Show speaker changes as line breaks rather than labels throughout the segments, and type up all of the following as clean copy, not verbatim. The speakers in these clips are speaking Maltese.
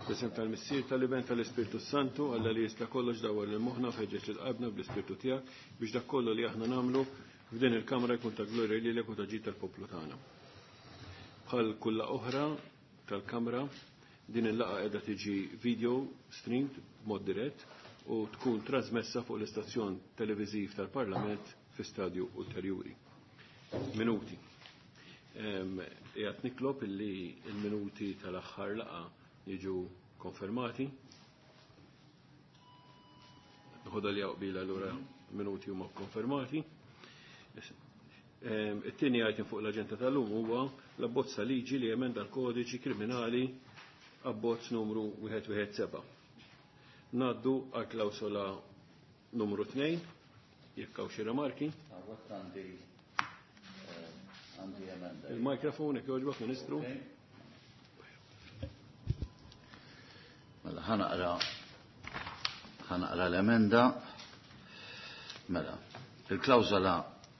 Fl-isem tal-Missier, tal-Iben, tal-Ispirtu Santu, Alla li jista' kollox dawwar lil moħħna u ħeġġeġ lil qalbna bl-Ispirtu tiegħek biex dak kollu li aħna nagħmlu f'din il-kamra jkun ta' glorja lilek u ta' ġid tal-poplu tagħna. Bħal kull laqgħa oħra tal-kamra, din il-laqgħa qiegħda tiġi video streamed b'mod dirett u tkun trasmessa fuq l-istazzjon televiżiv tal-Parlament fi stadju ulterjuri. Minuti. Qiegħed nitlob illi l-minuti tal-aħħar laqgħa jiġu konfermati. Nħodha li qbil allura minuti huma konfermati. It-tieni item fuq l-aġenda tal-lum huwa l-abbozz ta' liġi li jemenda l-kodiċi kriminali abbozz numru 117. Ngħaddu għal klawsola numru 2, jekk hawn xi rimarki.
Hawnhekk għandi għandi emenda.
Il-mikrofon jekk jogħġbok, Ministru.
Mela ħanaqra ħanaqra l-emenda. Mela, il-klawżola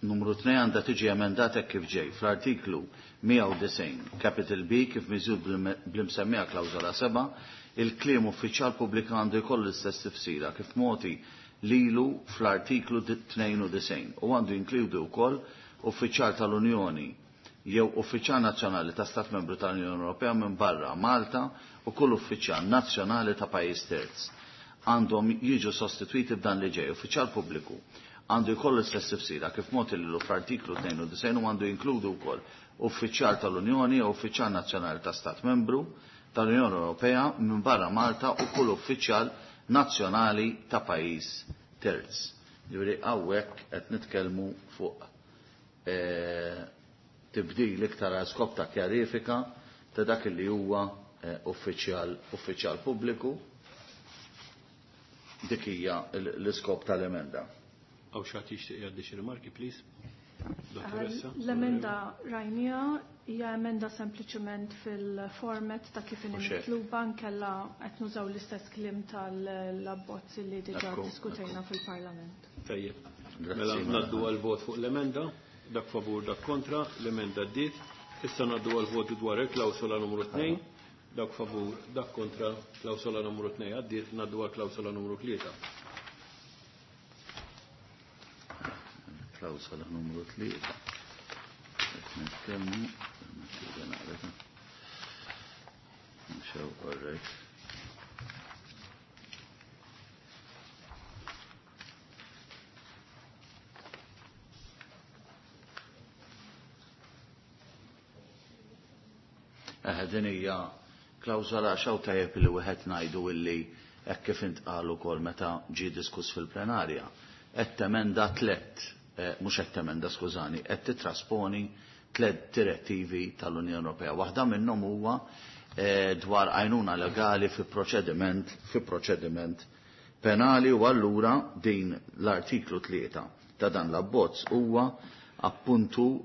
numru 2 għandha tiġi emendata hekk kif ġej fl-artiklu 190 capital B kif miżjud bl-imsemmija klawżola 7, il-kliem uffiċjal pubbliku għandu jkollu l-istess tifsira kif mogħti lilu fl-artiklu 92 u għandu jinkludi wkoll uffiċjal tal-Unjoni jew uffiċjal nazzjonali ta' Stat Membru tal-Unjoni Ewropea minn barra Malta u kull uffiċjal nazzjonali ta' pajjiż terz. Għandhom jiġu sostitwiti b'dan li ġej. Uffiċjal pubbliku għandu jkollu l-istess tifsira kif mogħti lilu fl-artiklu 92 u għandu jinkludu wkoll uffiċjal tal-Unjoni jew uffiċjal nazzjonali ta' Stat Membru tal-Unjoni Ewropea minn barra Malta u kull uffiċjal nazzjonali ta' pajjiż terz. Ġifieri hawnhekk qed nitkellmu fuq tibdil iktar għal skop ta' kjarifika ta' dak li huwa uffiċjal uffiċjal pubbliku. Dik hija l-iskop tal-emenda.
Hawn xi ħadd jixtieq jgħaddi xi rimarki, please? Dottoressa?
L-emenda rajnija hija emenda sempliċement fil-format ta' kif inhi
Mhux hekk.
mitluba nkella qed nużaw l-istess kliem tal-abbozz li diġà
Ekku,
diskutejna
ekku.
fil-Parlament.
Tajjeb.
Grazzi,
Mela
mela.
ngħaddu għal vot fuq l-emenda, dak favur, dak kontra, l-emenda ddiet. Issa ngħaddu għal vot dwar il-klawsola numru 2, dak favur, dak kontra, klawsola numru 2 għaddiet, ngħaddu għal klawsola numru 3.
Klawsola numru 3. Qed nitkellmu, naqra. Nxew, all right. Din hija klawsola xaw tajjeb li wieħed ngħidu illi hekk kif intqal ukoll meta ġie diskuss fil-plenarja. Qed temenda tliet, mhux qed temenda skużani, qed titrasponi tliet direttivi tal-Unjoni Ewropea. Waħda minnhom huwa dwar għajnuna legali fi proċediment, fi proċediment penali u allura din l-artiklu 3 ta' dan l-abbozz huwa appuntu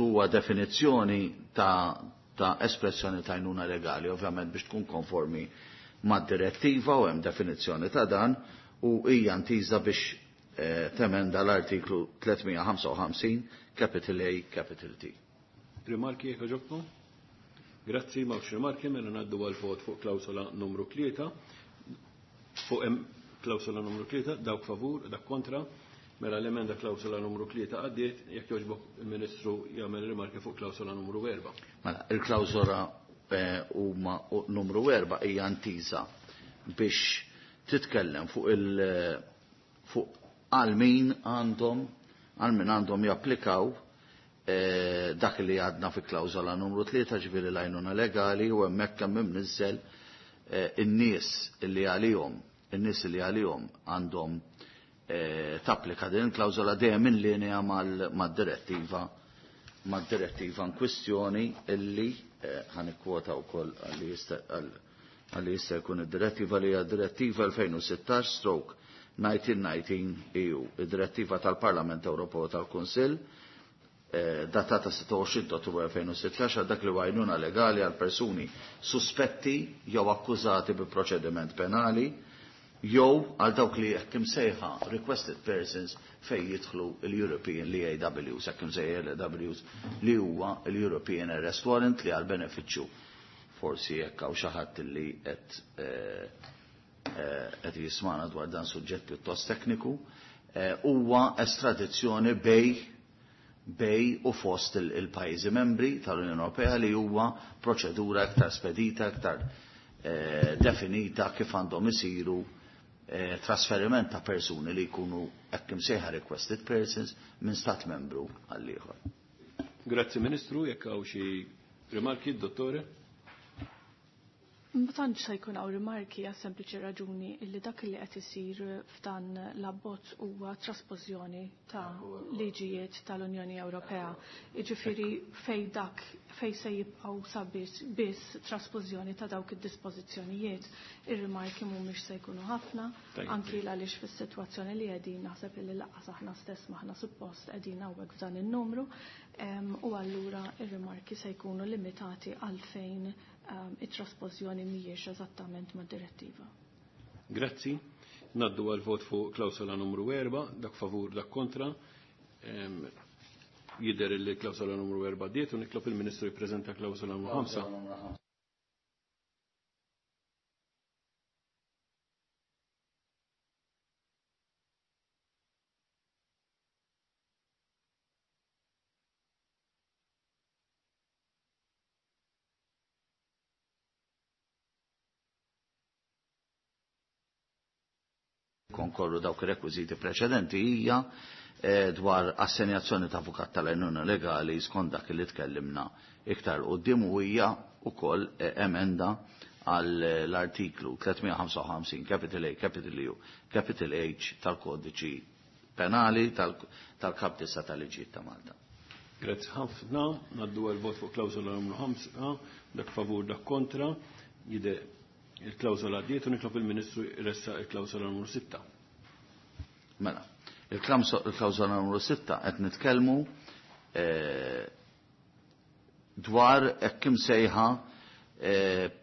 huwa definizzjoni ta' espressjoni ta' għajnuna legali, ovvjament biex tkun konformi mad-direttiva u hemm definizzjoni ta' dan u hija ntiża biex temenda l-artiklu 355 capital A capital T.
Rimarki jekk ġobkom? Grazzi, m'hawnx rimarki, mela ngħaddu għal vot fuq klawsola numru 3. Fuq hemm klawsola numru 3, dawk favur, dak kontra. Mela l-emenda klawsola numru 3 għaddiet, jekk jogħġbok il-Ministru jagħmel rimarki fuq klawsola numru 4.
Mela, il-klawsola huma numru 4 hija ntiża biex titkellem fuq il fuq għal min għandhom, għal min għandhom japplikaw dak li għadna fi klawsola numru 3, ġifieri l-għajnuna legali, u hemmhekk hemm imniżżel in-nies li għalihom, in-nies li għalihom għandhom tapplika din il-klawsola dejjem in linja mad-direttiva, mad-direttiva in kwistjoni illi ħanikkwota wkoll għalli jista' jkun id-direttiva li hija direttiva 2016 stroke 1919 EU, id-direttiva tal-Parlament Ewropew tal-Kunsill datata 26 ta' Ottubru 2016 għal dak li għajnuna legali għal persuni suspetti jew akkużati bi proċediment penali jew għal dawk li hekk imsejħa requested persons fejn jidħlu l-European l-E A Ws, hekk imsejħa l-E A Ws li huwa l-European Arrest Warrant li għal benefiċċju. Forsi jekk hawn xi ħadd li qed qed jismana dwar dan suġġett pjuttost tekniku, huwa estradizzjoni bejn u fost il-pajjiżi membri tal-Unjoni Ewropea li huwa proċedura iktar spedita, iktar definita kif għandhom isiru trasferiment ta' persuni li jkunu hekk imsejħa requested persons minn stat membru għal ieħor.
Grazzi Ministru, jekk hawn xi rimarki, dottore?
Ma tantx se jkun hawn rimarki għas sempliċi raġuni illi dak li qed isir f'dan l-abbozz huwa traspożjoni ta' liġijiet tal-Unjoni Ewropea. Jiġifieri fej dak fej se jibqgħu sabiex biss traspożjoni ta' dawk id-dispożizzjonijiet, ir-rimarki mhumiex se jkunu ħafna, anki għaliex fis-sitwazzjoni li qegħdin naħseb illi lanqas aħna stess m'aħna suppost qegħdin hawnhekk f'dan in-numru, u allura ir-rimarki se jkunu limitati għalfejn it-traspożjoni mhijiex eżattament mad-direttiva.
Grazzi. Naddu għal vot fuq klawsola numru 4, dak favur, dak kontra. Jidher li klawsola numru 4 diet u nitlob il-Ministru jippreżenta klawsola numru 5.
Konkorru dawk ir-rekwiżiti preċedenti hija dwar assenjazzjoni ta' avukat tal-għajnuna legali skont dak li tkellimna iktar quddiem u hija wkoll emenda għall-artiklu 355 capital A, capital U, capital H tal-kodiċi penali tal-Kap 9 tal-Liġijiet ta' Malta.
Grazzi ħafna, naddu għal vot fuq klawsola numru 5, dak favur, dak kontra, jide il-klawsola għaddiet u nitlob il-Ministru jressaq il-klawsola numru 6.
Mela, il-klawsola numru 6 qed nitkellmu dwar hekk imsejħa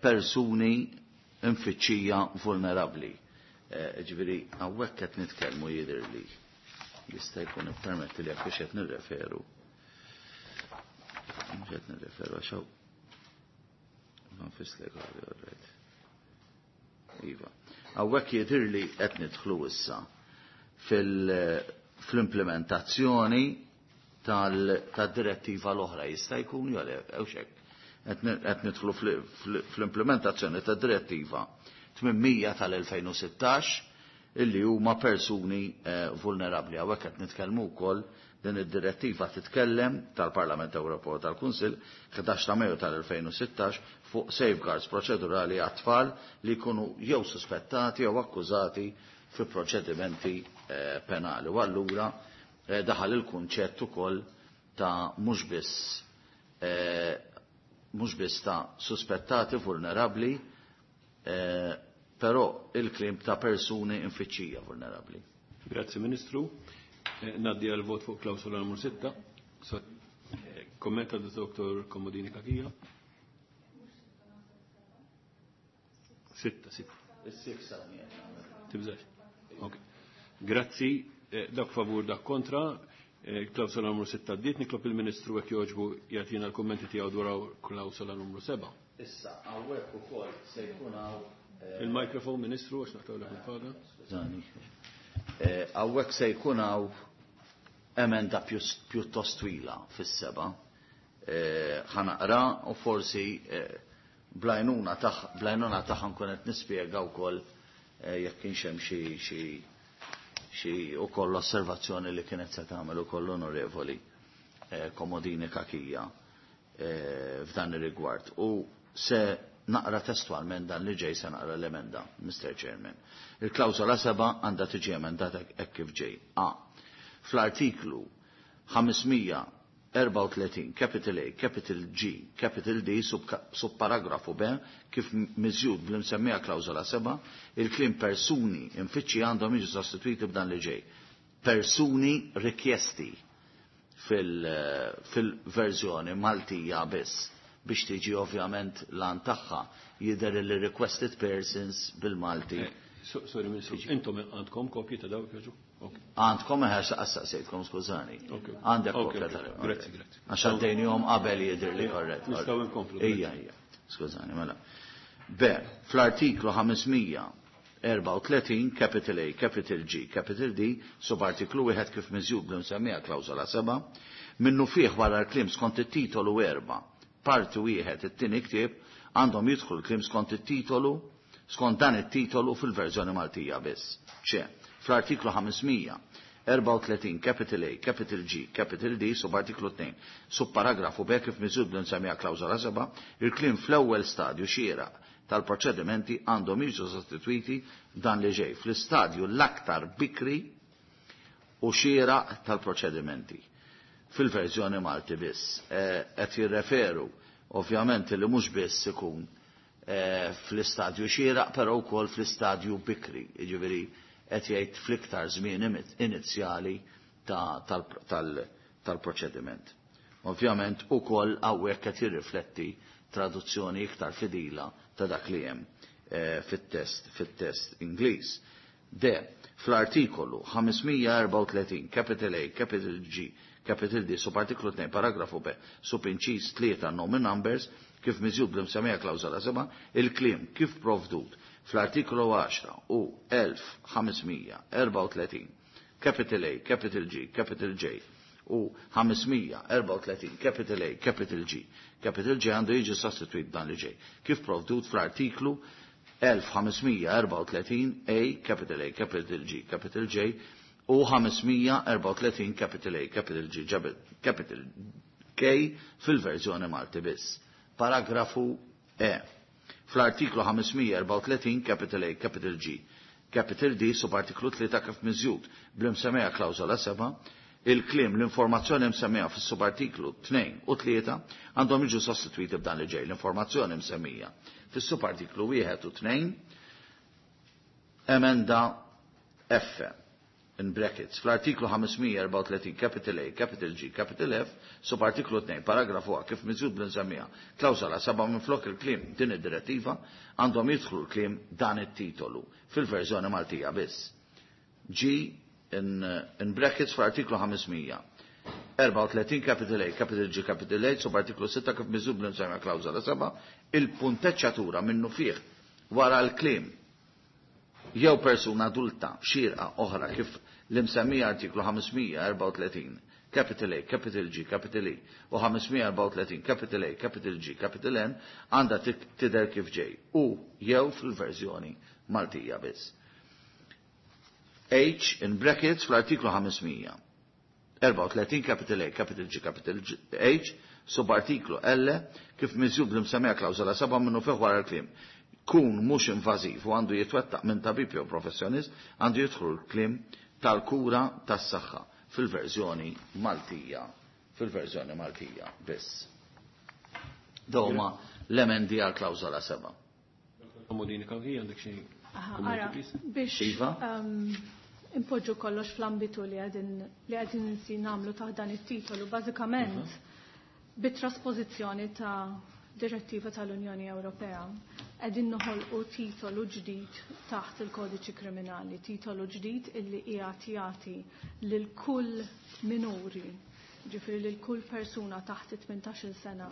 persuni mfittxija vulnerabbli. Ġifieri hawnhekk qed nitkellmu jidhirli jista' jkun ippermetti li jekk qed nirreferu. Mhux qed nirreferu għax hawn nfis legali, all right. Iva. Hawnhekk jidhirli qed nidħlu issa fl-implementazzjoni tad-direttiva l-oħra jista' jkun jew le, hekk. Qed nidħlu fl-implementazzjoni tad-direttiva 800 tal-2016 illi huma persuni vulnerabbli. Hawnhekk qed nitkellmu wkoll din id-direttiva titkellem tal-Parlament Ewropew u tal-Kunsill 11 ta' Mejju tal-2016 fuq safeguards proċedurali għat-tfal li jkunu jew suspettati jew akkużati fi proċedimenti penali. U allura daħal il-kunċett ukoll ta' mhux biss ta' suspettati vulnerabbli, però il-klim ta' persuni infittxija vulnerabbli.
Grazzi Ministru. Naddi għal vot fuq klawsola numru 6. Kommenta Dr. Komodini Kakija. 6, 6. Tibżax. Ok. Grazzi. Dak favur, dak kontra. Klawsola numru 6 għaddiet. Nitlob il-Ministru hekk jogħġbu jagħtina l-kummenti tiegħu dwar klawsola numru 7.
Issa, hawnhekk ukoll se jkun hawn
Il-mikrofon, Ministru, għax naqtgħu il-faga.
Skużani. Hawnhekk se jkun hawn emenda pjuttost twila fis-seba. Ħanaqra u forsi blajnuna tagħha nkun qed nispjega wkoll jekk kienx hemm xi wkoll osservazzjoni li kienet se tagħmel ukoll l-Onorevoli Komodini Kakija f'dan ir-rigward. U se naqra testualment dan li ġej, se naqra l-emenda, Mr. Chairman. Il-klawsola 7 għandha tiġi emendata hekk kif ġej. A. Fl-artiklu 534 capital A, capital G, capital D, subparagrafu B, kif miżjud bl-imsemmija klawsola 7, il-kliem persuni infittxi għandhom jiġu sostituiti b'dan li ġej. Persuni rikjesti fil-verżjoni Maltija biss, biex tiġi ovvjament lan tagħha jidher li requested persons bil-Malti.
Sorry, Ministru, intom għandkom kopji ta' dawk jaġu?
Għandkom eħer saqsejtkom, skużani. Għandek kopja tal-.
Grazzi, grazzi.
Għax għaddejnihom qabel jidher li korrett.
Nistgħu nkomplu.
Ija, ija. Skużani, mela. B. Fl-artiklu 534 capital A, capital G, capital D, subartiklu wieħed kif miżjud bl-imsemmija klawżola 7, minnu fih wara l-kliem skont it-titolu 4, parti wieħed it-tieni ktieb, għandhom jidħlu l-kliem skont it-titolu, skont dan it-titolu fil-verżjoni Maltija biss. C. Fl-artiklu 534 capital A, capital G, capital D, subartiklu 2, subparagrafu B kif miżjud bl-imsemmija klawżola 7, il-kliem fl-ewwel stadju xieraq tal-proċedimenti għandhom jiġu sostituiti dan li ġej fl-istadju l-aktar bikri u xieraq tal-proċedimenti. Fil-verżjoni Malti biss. Qed jirreferu ovvjament li mhux biss ikun fl-istadju xieraq, però wkoll fl-istadju bikri, jiġifieri qed jgħid fl-iktar żmien inizjali tal-proċediment. Ovvjament ukoll hawnhekk qed jirrifletti traduzzjoni iktar fidila ta' dak li hemm fit-test Ingliż. D. Fl-artikolu 534 capital A, capital G, capital D, subartiklu 2, paragrafu B, subinċiż 3 nomen numbers, kif miżjud bl-imsemmija klawżola 7, il-kliem kif provdut fl-artikolu 10 u 1534 capital A, capital G, capital J u 534 capital A, capital G, capital J għandu jiġi sostituit dan li ġej, kif provdut fl-artiklu 1534 A, capital A, capital G, capital J u 534 capital A, capital G, capital K fil-verżjoni Malti biss. Paragrafu E. Fl-artiklu 534 capital A, capital G, capital D, subartiklu 3 kif miżjud bl-imsemmija klawżola 7, il-kliem l-informazzjoni msemmija fis-subartiklu 2 u 3 għandhom jiġu sostituiti b'dan li ġej. L-informazzjoni msemmija fis-subartiklu 1 u 2, emenda F in brackets, fl-artiklu 534 capital A, capital G, capital F, subartiklu 2, paragrafu A, kif miżjud bl-imsemmija klawżola 7 minn flok il-kliem din id-direttiva għandhom jidħlu l-kliem dan it-titolu fil-verżjoni Maltija biss. G in brackets fl-artiklu 534 capital A, capital G, capital H, subartiklu 6 kif miżjud bl-imsemmija klawżola 7, il-punteċċatura minnu fih wara l-kliem jew persuna adulta xierqa oħra kif l-imsemmija artiklu 534 capital A, capital G, capital E u 534 capital A, capital G, capital N għandha tidher kif ġej u jew fil-verżjoni Maltija biss. H in brackets fl-artiklu 534 capital A, capital G, capital G, H subartiklu L kif miżjud bl-imsemmija klawżola 7 minnu fih wara l-kliem kun mhux invażiv u għandu jitwettaq minn tabib jew professjonist għandu jidħlu l-kliem tal-kura tas-saħħa fil-verżjoni Maltija, fil-verżjoni Maltija biss. Dawma l-emendi għal klawżola 7.
Komodini kawhi għandek xi
Ara, biex
Iva?
impoġġu kollox fl-ambitu li qegħdin nsi nagħmlu taħt dan it-titolu, bażikament bit-trasposizzjoni ta' direttiva tal-Unjoni Ewropea qegħdin noħolqu titolu ġdid taħt il-kodiċi kriminali, titolu ġdid illi qiegħed jagħti lil kull minuri, ġifieri lil kull persuna taħt 18-il sena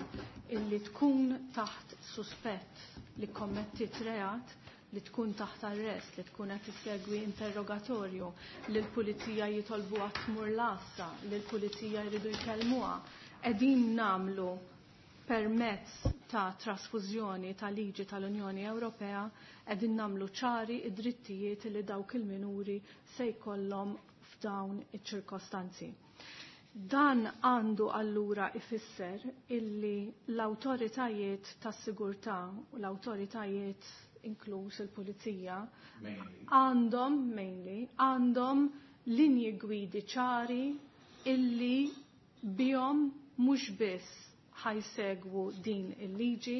illi tkun taħt suspett li kommettit reat, li tkun taħt arrest, li tkun qed issegwi interrogatorju, li l-pulizija jitolbuha tmur l-għassa, li l-pulizija jridu jkellmuha. Qegħdin nagħmlu permezz ta' trasfużjoni ta' liġi tal-Unjoni Ewropea, qegħdin nagħmlu ċari id-drittijiet li dawk il-minuri se jkollhom f'dawn iċ-ċirkostanzi. Dan għandu allura ifisser illi l-awtoritajiet tas-sigurtà u l-awtoritajiet inkluż il-pulizija għandhom mainly għandhom linji gwidi ċari illi bihom mhux biss ħajsegwu din il-liġi,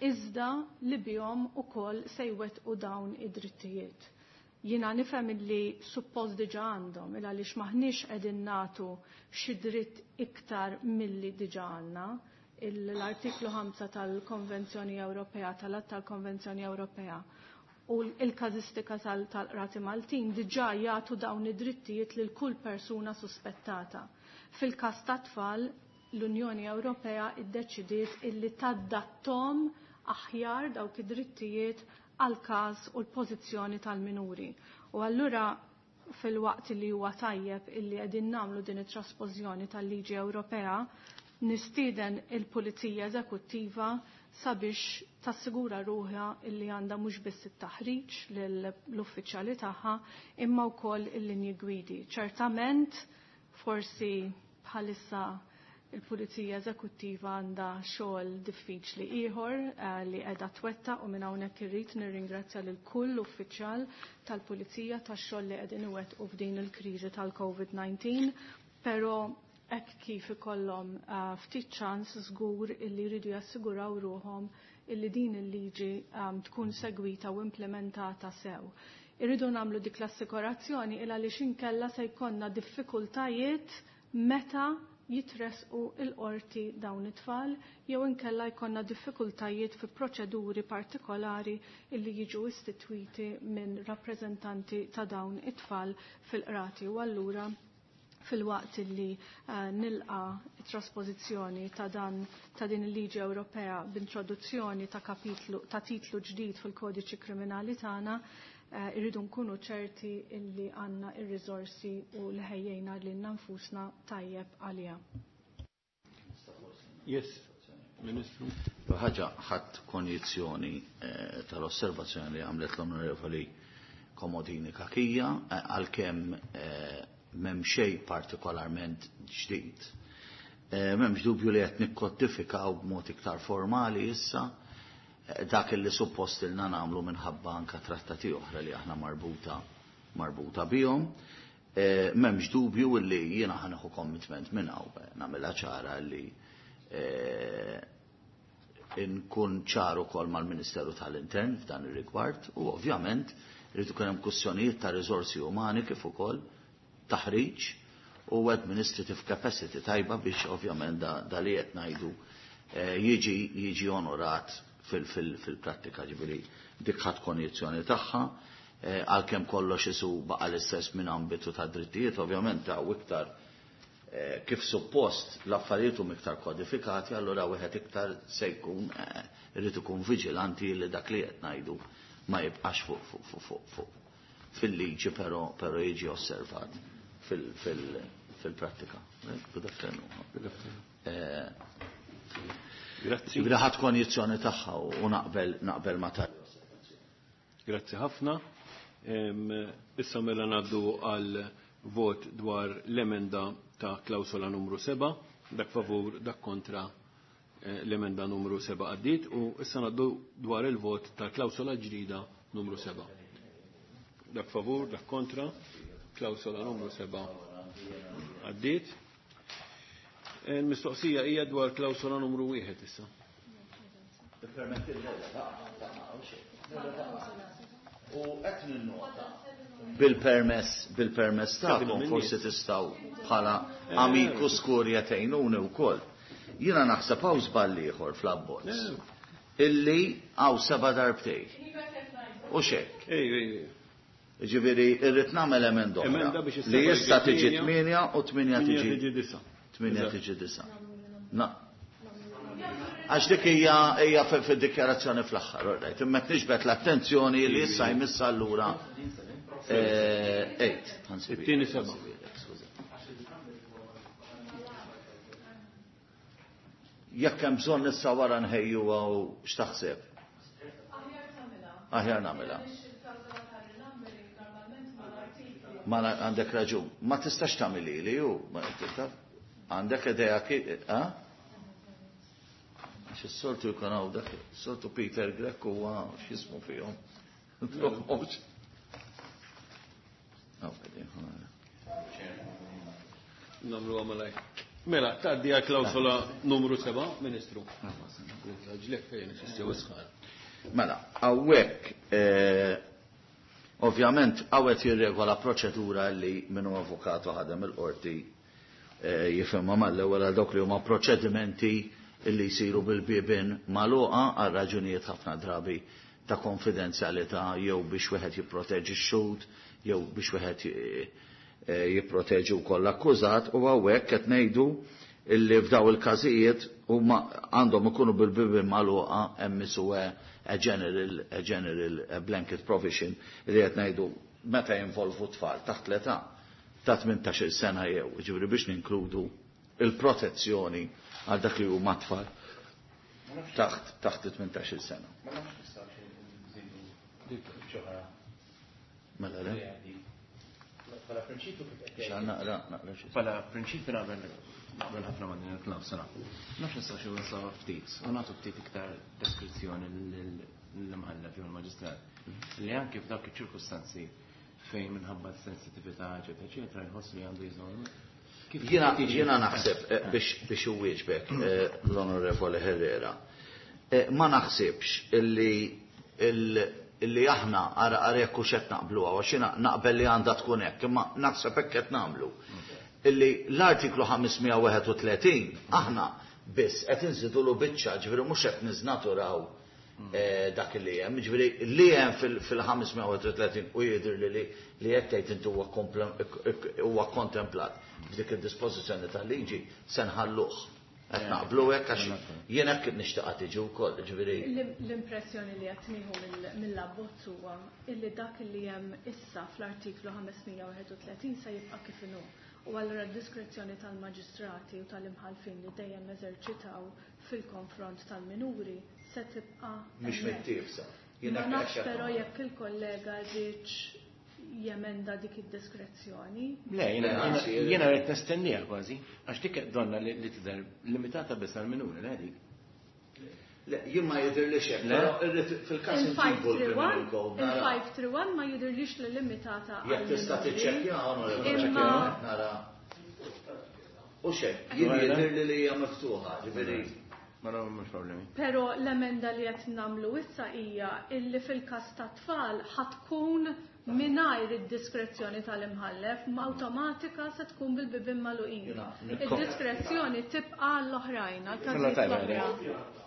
iżda li bihom ukoll se jwettqu dawn id-drittijiet. Jiena nifhem illi suppost diġà għandhom, il għaliex maħniex qegħdin nagħtu xi dritt iktar milli diġà għandna. L-artiklu 5 tal-Konvenzjoni Ewropea, tal-Att tal-Konvenzjoni Ewropea u l-każistika tal-Qrati Maltin diġà jagħtu dawn id-drittijiet lil kull persuna suspettata. Fil-każ ta' tfal, l-Unjoni Ewropea iddeċidiet illi taddattom aħjar dawk id-drittijiet għal każ u l-pożizzjoni tal-minuri. U allura fil-waqt li huwa tajjeb illi qegħdin nagħmlu din it-traspożjoni tal-liġi Ewropea, nistieden il-Pulizija Eżekuttiva sabiex tassigura ruħha illi għandha mhux biss it-taħriġ lill-uffiċjali tagħha imma wkoll il-linji gwidi. Ċertament forsi bħalissa il-Pulizija Eżekuttiva għandha xogħol diffiċli ieħor li qiegħda twetta u minn hawnhekk irrid nirringrazzja lil kull uffiċjal tal-Pulizija tax-xogħol li qegħdin iwettqu f'din il-kriżi tal-COVID-19, però hekk kif ikollhom ftit ċans żgur illi jridu jassiguraw ruħhom illi din il-liġi tkun segwita u implementata sew. Irridu nagħmlu dik l-assikurazzjoni il għaliex inkella se jkollna diffikultajiet meta jitresqu il-qorti dawn it-tfal jew inkella jkollna diffikultajiet fi proċeduri partikolari illi jiġu istitwiti minn rappreżentanti ta' dawn it-tfal fil-qrati. U allura fil-waqt illi nilqa trasposizzjoni ta' dan ta' din il-liġi Ewropea b'introduzzjoni ta' kapitlu ta' titlu ġdid fil-kodiċi kriminali tagħna, irridu nkunu ċerti illi għandna ir-riżorsi u li ħejjejna lilna nfusna tajjeb għaliha.
Yes, Ministru.
Ħaġa ħadd konjizzjoni tal-osservazzjoni li għamlet l-Onorevoli Komodini Kakija, għalkemm m'hemm xejn partikolarment ġdid. M'hemmx dubju li qed nikkodifikaw b'mod iktar formali issa dak li suppost ilna nagħmlu minħabba anka trattati oħra li aħna marbuta bihom. M'hemmx dubju li jiena ħa nieħu commitment minn hawn, nagħmilha ċara li nkun ċar ukoll mal-Ministeru tal-Intern f'dan ir-rigward u ovvjament irid ikun hemm kwistjonijiet ta' riżorsi umani kif ukoll taħriġ u administrative capacity tajba biex ovvjament da li qed ngħidu jiġi onorat fil-prattika, ġifieri dik ħadd konjizzjoni tagħha, għalkemm kollox isu baqa' l-istess minn ambitu ta' drittijiet, ovvjament ta' iktar kif suppost l-affarijiet huma iktar kodifikati, allura wieħed iktar se jkun irid ikun viġilanti li dak li qed ngħidu ma jibqax fuq fil-liġi, però jiġi osservat fil-prattika. Good afternoon.
Good afternoon. Grazzi.
Ġifieri ħadd konjizzjoni tagħha u naqbel ma tal.
Grazzi ħafna. Issa mela ngħaddu għal vot dwar l-emenda ta' klawsola numru 7, dak favur, dak kontra l-emenda numru 7 għaddiet, u issa ngħaddu dwar il-vot ta' klawsola ġdida numru 7. Dak favur, dak kontra, klawsola numru 7 għaddiet. Il-mistoqsija hija dwar klawsola numru 1 issa.
U qed ninnota bil-permess tagħkom forsi tistgħu bħala amikus kurja tgħinuni wkoll. Jiena naħseb hawn żball ieħor fl-abbozz. Illi hawn 7 darbtej. U xek. Ġifieri irrid nagħmel emenda oħra li issa tiġi 8 u 8 tiġi
9.
8 tiġi 9. Na. Għax dik hija fid-dikjarazzjoni fl-aħħar, right? Imma qed niġbed l-attenzjoni li issa jmiss allura 8.
It-tieni 7.
Jekk hemm bżonn issa wara nħejjuha u x'taħseb? Aħjar nagħmilha. Ma għandek raġun. Ma tistax tagħmilhi li hu, ma tista'. Għandek idea ha? Għax is-soltu jkun hawn dak, is-soltu Peter Grech huwa x'jismu fihom.
Nagħmlu għamalaj. Mela, tgħaddi għal klawsola numru 7, Ministru. Ġlek fejn isisti wisħan.
Mela, hawnhekk ovvjament hawnhekk jirregola proċedura li minnu avukatu ħadem il-qorti jifhimha mal-ewwel għal dawk li huma proċedimenti li jsiru bil-bibien magħluqa għal raġunijiet ħafna drabi ta' konfidenzjalità jew biex wieħed jipproteġi x-xhud jew biex wieħed jipproteġi wkoll l-akkużat, u hawnhekk qed ngħidu illi f'daw il-każijiet Huma għandhom ikunu bil-bibien magħluqa hemm isu a general a general a blanket provision li qed ngħidu meta jinvolvu tfal taħt l-età ta' 18-il sena jew, jiġifieri biex ninkludu il-protezzjoni għal dak li huma tfal taħt taħt 18-il sena.
Ma nafx nistgħux nżidu ġoħra.
Mela le?
Bħala prinċipju kif qed
Xa naqra naqra xi.
Bħala prinċipju naqbel naqbel ħafna ma' din il-klawsola. Nafx nistgħux nsaw ftit u nagħtu ftit iktar deskrizzjoni lill-imħallef jew il-maġistrat li anke f'dawk iċ-ċirkustanzi fejn minħabba s-sensitività, eċetera, eċetera, jħoss li għandu jżomm.
Jiena jiena naħseb biex biex iwieġbek l-Onorevoli Herrera. Ma naħsibx illi illi aħna ara ara jekk hux qed naqbluha għax jiena naqbel li għandha tkun hekk, imma naħseb hekk qed nagħmlu. Illi l-artiklu 531 aħna biss qed inżidulu biċċa, ġifieri mhux qed niżnaturaw dak li hemm, ġifieri li hemm fil-531 u jidher li li qed tgħid inti huwa huwa kontemplat f'dik id-dispożizzjoni tal-liġi se nħalluh. Qed naqblu hekk għax jien hekk nixtieqha tiġi wkoll, ġifieri.
L-impressjoni li qed nieħu mill-abbozz huwa illi dak li hemm issa fl-artiklu 531 se jibqa' kif inhu. U allura d-diskrezzjoni tal-maġistrati u tal-imħallfin li dejjem eżerċitaw fil-konfront tal-minuri se tibqa'
Mhix
hemmhekk.
mittiefsa.
Ma nafx però jekk il-kollega rridx jemenda dik id-diskrezzjoni.
Le, jiena rrid nistennija kważi, għax dik donna li tidher limitata biss għall-minuri, le dik.
Le, jien ma jidhirlix hekk,
Le?
però irrid fil-każ inġibu l-criminal code. nara.
Il-531 ma jidhirlix li limitata
Jekk tista'
għall-minuri.
tiċċekkja, onorevoli,
Imma
nara. U xejn, jien jidhirli li hija miftuħa, ġifieri.
Ma no, mhux problemi.
Però l-emenda li qed nagħmlu issa hija illi fil-każ ta' tfal ħatkun mingħajr id-diskrezzjoni tal-imħallef, ma awtomatika se tkun bil-bibien magħluqin.
Jiena,
Id-diskrezzjoni tibqa' għall-oħrajn,
Mela
għall-każijiet
tajba,
l-oħra.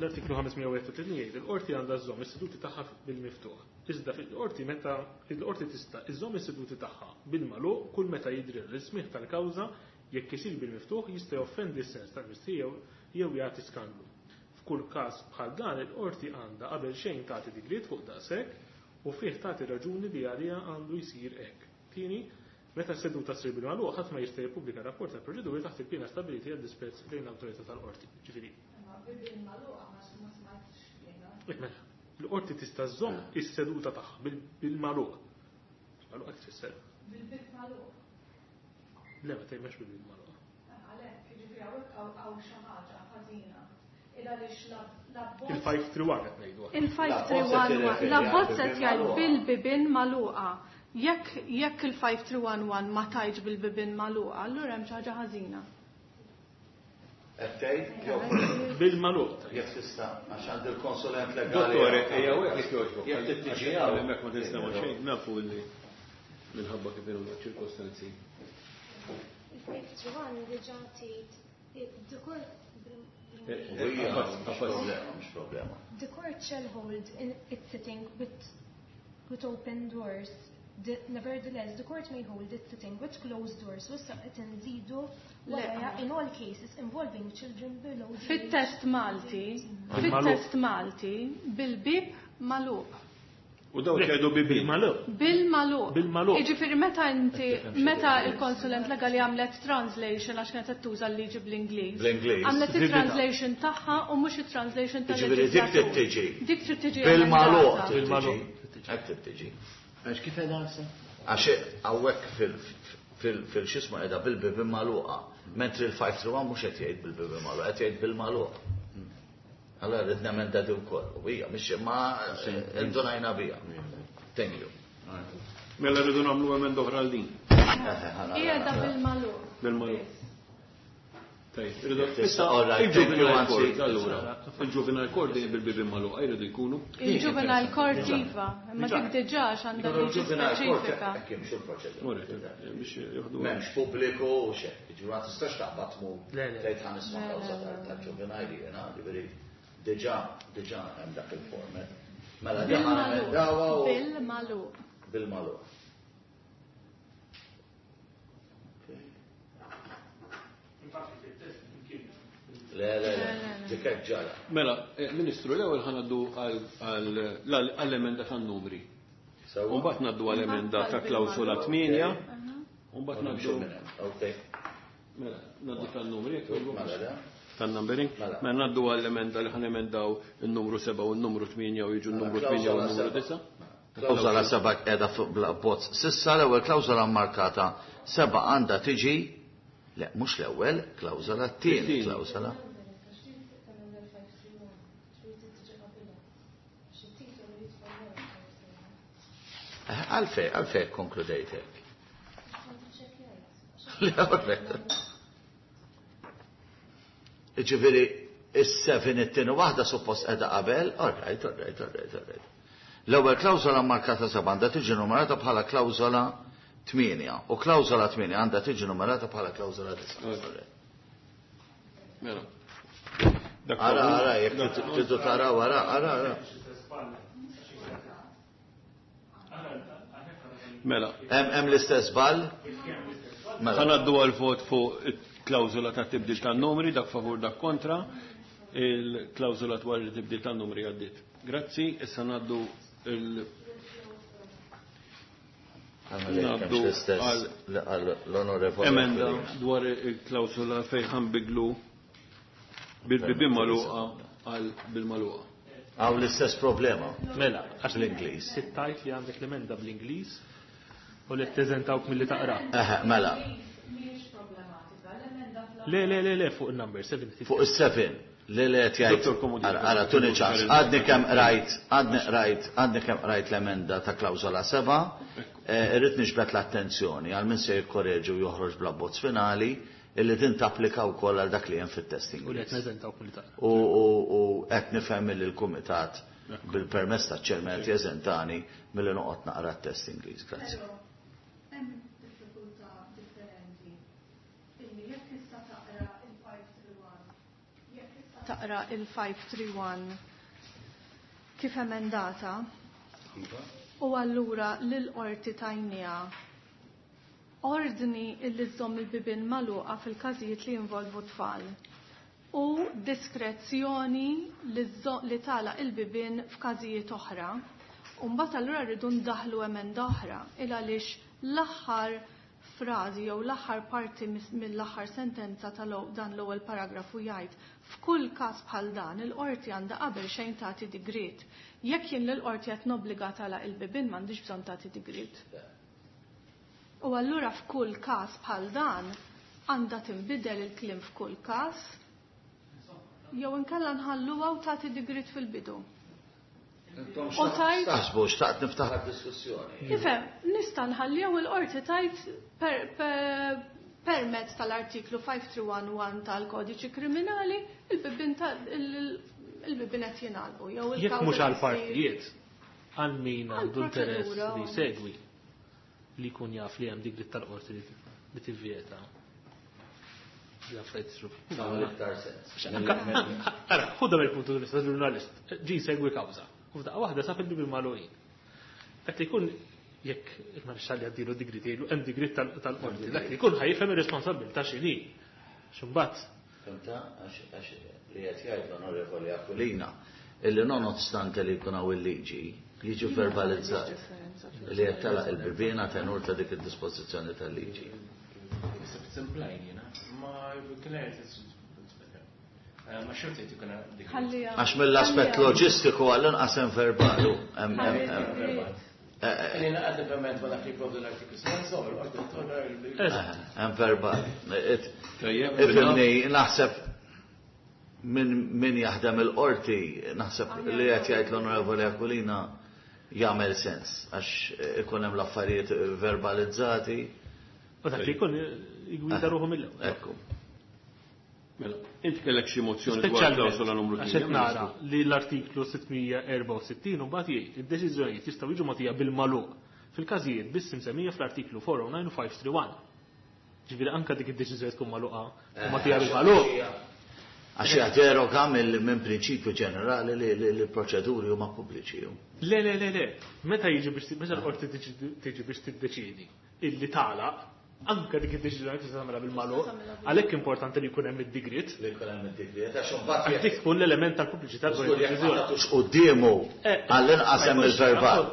L-artiklu 531 jgħid il-qorti għandha żżomm is-seduti tagħha bil-miftuħ. Iżda fil-qorti meta il-qorti tista' iżżomm is-seduti tagħha bil-magħluq kull meta jidri l-ismih tal-kawża jekk isir bil-miftuħ jista' joffendi s-sens tal-mistħija jew jagħti skandlu. F'kull każ bħal dan il-qorti għandha qabel xejn tagħti digriet fuq daqshekk u fih tagħti raġuni li għaliha għandu jsir hekk. Tieni, meta s-seduta ssir bil-magħluq ħadd ma jista' jippubblika rapport tal-proċeduri taħt il-piena stabbiliti għad disprezz lejn l-awtorità tal-qorti. Ġifieri, Mela, l-qorti tista' żżomm is-seduta tagħha bil-magħluq. Magħluq qed tfisser.
Bil-bib magħluq.
Le ma tgħidx bil-bib magħluq.
Għalhekk, jiġifieri hawnhekk hawn xi ħaġa ħażina. Il għaliex l-abbozz
Il-531 qed ngħidu. aħna.
Il-5311 l-abbozz qed jgħid bil-bibien magħluqa. Jekk jekk il-5311 ma tgħidx bil-bibien magħluqa, allura hemm xi ħaġa ħażina.
Qed tgħid jew
Bil-magħluq.
jekk tista' għax għandi l-konsulent legali.
Dottore, ejja u hekk jogħġbok.
Jekk trid tiġi hawn.
Hemmhekk ma tinstema' xejn, nafu li minħabba kif inhuma ċirkostanzi.
Il-531 diġà tgħid the court
Hija, mhux problema, mhux problema.
the court shall hold in its sitting with open doors. Nevertheless, the court may hold its sitting with closed doors. U issa qed inżidu wara in all cases involving children below the age
Fit-test Malti, fit-test Malti, bil-bib magħluq.
U daw ċedu bibien.
Bil-magħluq.
Bil-magħluq.
Bil-magħluq.
Jiġifieri meta inti meta il-konsulent legali għamlet translation għax kienet qed tuża l-liġi bl-Ingliż.
Bl-Ingliż.
Għamlet it-translation tagħha u mhux it-translation
Jiġifieri dik trid
tal-leġislatur.
tiġi.
Dik trid tiġi
Bil-magħluq
emendata.
trid tiġi.
Bil-magħluq.
Hekk trid tiġi.
Għax kif qed issa?
Għax hawnhekk fil-xisma qiegħda bil-bibien magħluqa, mentri l-531 mhux qed jgħid bil-bibien magħluqa, qed jgħid bil-magħluq. Allora rrid nemenda di wkoll. U hija mhix ma indunajna biha. Thank you.
Mela rridu nagħmlu emenda oħra għal din.
Qiegħda bil-magħluq.
Bil-magħluq. Tajjeb, irridu
Tista'
issa
all right, thank you,
il-juvenile
anzi.
court allura. Il-juvenile court dejjem bil-bibien magħluqa jridu jkunu.
Il-juvenile court iva, imma dik diġà għandha liġi
Il-juvenile court
speċifika.
hekk jimxu l-proċedura.
Ora, biex jieħdu.
M'hemmx pubbliku u xejn. Jiġifieri ma tistax taqbad tmur
Le, le.
tgħid ħa nisma' kawża tal-juvenile jiena, ġifieri diġà diġà hemm dak il-format. Mela diġà
Bil-magħluq.
nemendawha u
Bil-magħluq.
bil-magħluq. Le, le, le, dik hekk ġara.
Mela, Ministru, l-ewwel ħa ngħaddu għall-emenda tan-numri. U mbagħad ngħaddu għall-emenda ta' klawsola 8. U mbagħad ngħaddu. Mela, ngħaddu tan-numri. Tan-numbering. Mela ngħaddu għall-emenda li ħa nemendaw in-numru 7 u n-numru 8 u jiġu n-numru 8 u n-numru 9.
Klawsola 7 qiegħda fuq bl-abbozz. S'issa l-ewwel klawsola mmarkata 7 għandha tiġi, le, mhux l-ewwel klawsola, t-tieni klawsola. Għalfej, għalfej konkludejt hekk. Ġifieri, is-7 it-tieni waħda suppost qiegħda qabel, all right, all right, all right, all right. L-ewwel klawsola mmarkata 7 għandha tiġi numerata bħala klawsola 8 u klawsola 8 għandha tiġi numerata bħala klawsola 9.
Mela.
Ara, ara, jekk tridu taraw, ara, ara, ara.
Mela.
Hemm l-istess żball? Mela.
Ħa ngħaddu għal vot fuq il-klawżola ta' tibdil tan-numri, dak favur dak kontra. Il-klawżola dwar il-tibdil tan-numri għaddiet. Grazzi, issa ngħaddu il- Ngħaddu
għal
emenda dwar il-klawżola fejn ħanbidlu bil-bibien magħluqa għal bil-magħluqa.
Għaw l-istess problema.
Mela, għax
l-Ingliż.
Tittajt li għandek l-emenda bl-Ingliż u li teżentawk milli taqra.
Eħe, mela.
Le, le, le, le, fuq il-number 7.
Fuq il-7. Le, le, tjajt.
Dottor Comodini.
Ara, ara, tuni ċans. Għadni kemm qrajt, għadni qrajt, għadni kemm qrajt l-emenda ta' klawżola 7. Irrid niġbed l-attenzjoni għal min se jikkoreġi u joħroġ bl-abbozz finali illi din tapplika wkoll għal dak li hemm fit-test
U li
Ingliż.
qed neżentawk milli taqra.
U qed nifhem li l-kumitat bil-permess taċ-ċermen qed jeżentani milli noqgħod naqra t-test Ingliż. Grazzi.
Però hemm diffikultà differenti illi jekk issa taqra il-531 jekk issa taqra il-531 kif emendata u allura lill-qorti tajnija ordni illi żżomm il-bibien magħluqa fil-każijiet li jinvolvu tfal u diskrezzjoni li tagħlaq il-bibien f'każijiet oħra. U mbagħad allura rridu ndaħlu emenda oħra il għaliex l-aħħar frażi jew l-aħħar parti mill-aħħar sentenza ta' dan l-ewwel paragrafu jgħid f'kull każ bħal dan il-qorti għandha qabel xejn tagħti digriet. Jekk jien lill-qorti qed nobbliga tagħlaq il-bibien m'għandix bżonn tagħti digriet. U allura f'kull każ bħal dan għandha tinbidel il-kliem f'kull każ jew inkella nħalluha u tagħti digriet fil-bidu. U tajt
Taħsbu, xtaqt niftaħ diskussjoni.
Ifhem, nista' nħalliha u l-qorti tajt permezz tal-artiklu 5311 tal-Kodiċi Kriminali il-bibien qed jingħalqu jew
Jekk
il-kawża
mhux għal
ssir
partijiet, għal min għandu interess
Għal-proċedura.
li jsegwi li jkun jaf li hemm digriet tal-qorti li tivvjeta. L-affarijiet isiru.
Tagħmel iktar sens.
Ara, ħudha mill-puntu di vista tal-ġurnalist, ġi jsegwi kawża. U f'daqqa waħda sab il-bibien magħluqin. Dak li jkun jekk il-marixxall jgħaddilu digriet jgħidlu hemm digriet tal-qorti, dak li jkun ħajfhem ir-responsabilità x'inhi. X'imbagħad
Fimta, għax li qed jgħid l-Onorevoli Aquilina, illi nonostante li jkun hawn il-liġi, jiġi verbalizzat li qed telaq il-bibien tenur ta' dik id-dispożizzjoni tal-liġi.
Ma xorta jkun hemm dik.
Ħalliha.
Għax mill-aspett loġistiku għall-inqas hemm verbalu. Hemm, hemm, hemm.
Li naqgħod ovvjament ma dak li jipprovdu l-artiklu 7, l-qorti torna
Eżatt.
Hemm verbal.
Tajjeb,
Ifhimni, naħseb min jaħdem il-qorti, naħseb li qed jgħid l-Onorevoli Aquilina jagħmel sens għax ikun hemm l-affarijiet verbalizzati.
U dak li jkun jgwida ruħu mill-ewwel.
Ekku.
Mela, inti kellek xi mozzjoni dwar
Speċjalment
klawsola numru
għax qed
8.
nara li l-artiklu 664 u mbagħad jgħid id-deċiżjonijiet jistgħu jiġu mogħtija bil-magħluq fil-każijiet biss imsemmija fl-artiklu 409 u 531. Ġifieri anke dik id-deċiżjoni tkun magħluqa u mogħtija bil-magħluq.
Għax hija deroga minn prinċipju ġenerali li l-proċeduri huma pubbliċi.
Le, le, le, le. Meta jiġi biex meta l-qorti tiġi biex tiddeċiedi illi tagħlaq, Anke dik id-deċiżjoni tista' tagħmilha bil-magħluq. Għalhekk importanti li jkun hemm id-digriet.
Li jkun hemm id-digriet għax imbagħad
dik tkun l-element tal-pubbliċità
dwar id-deċiżjoni. Tux quddiemu għall-inqas hemm il-verbal.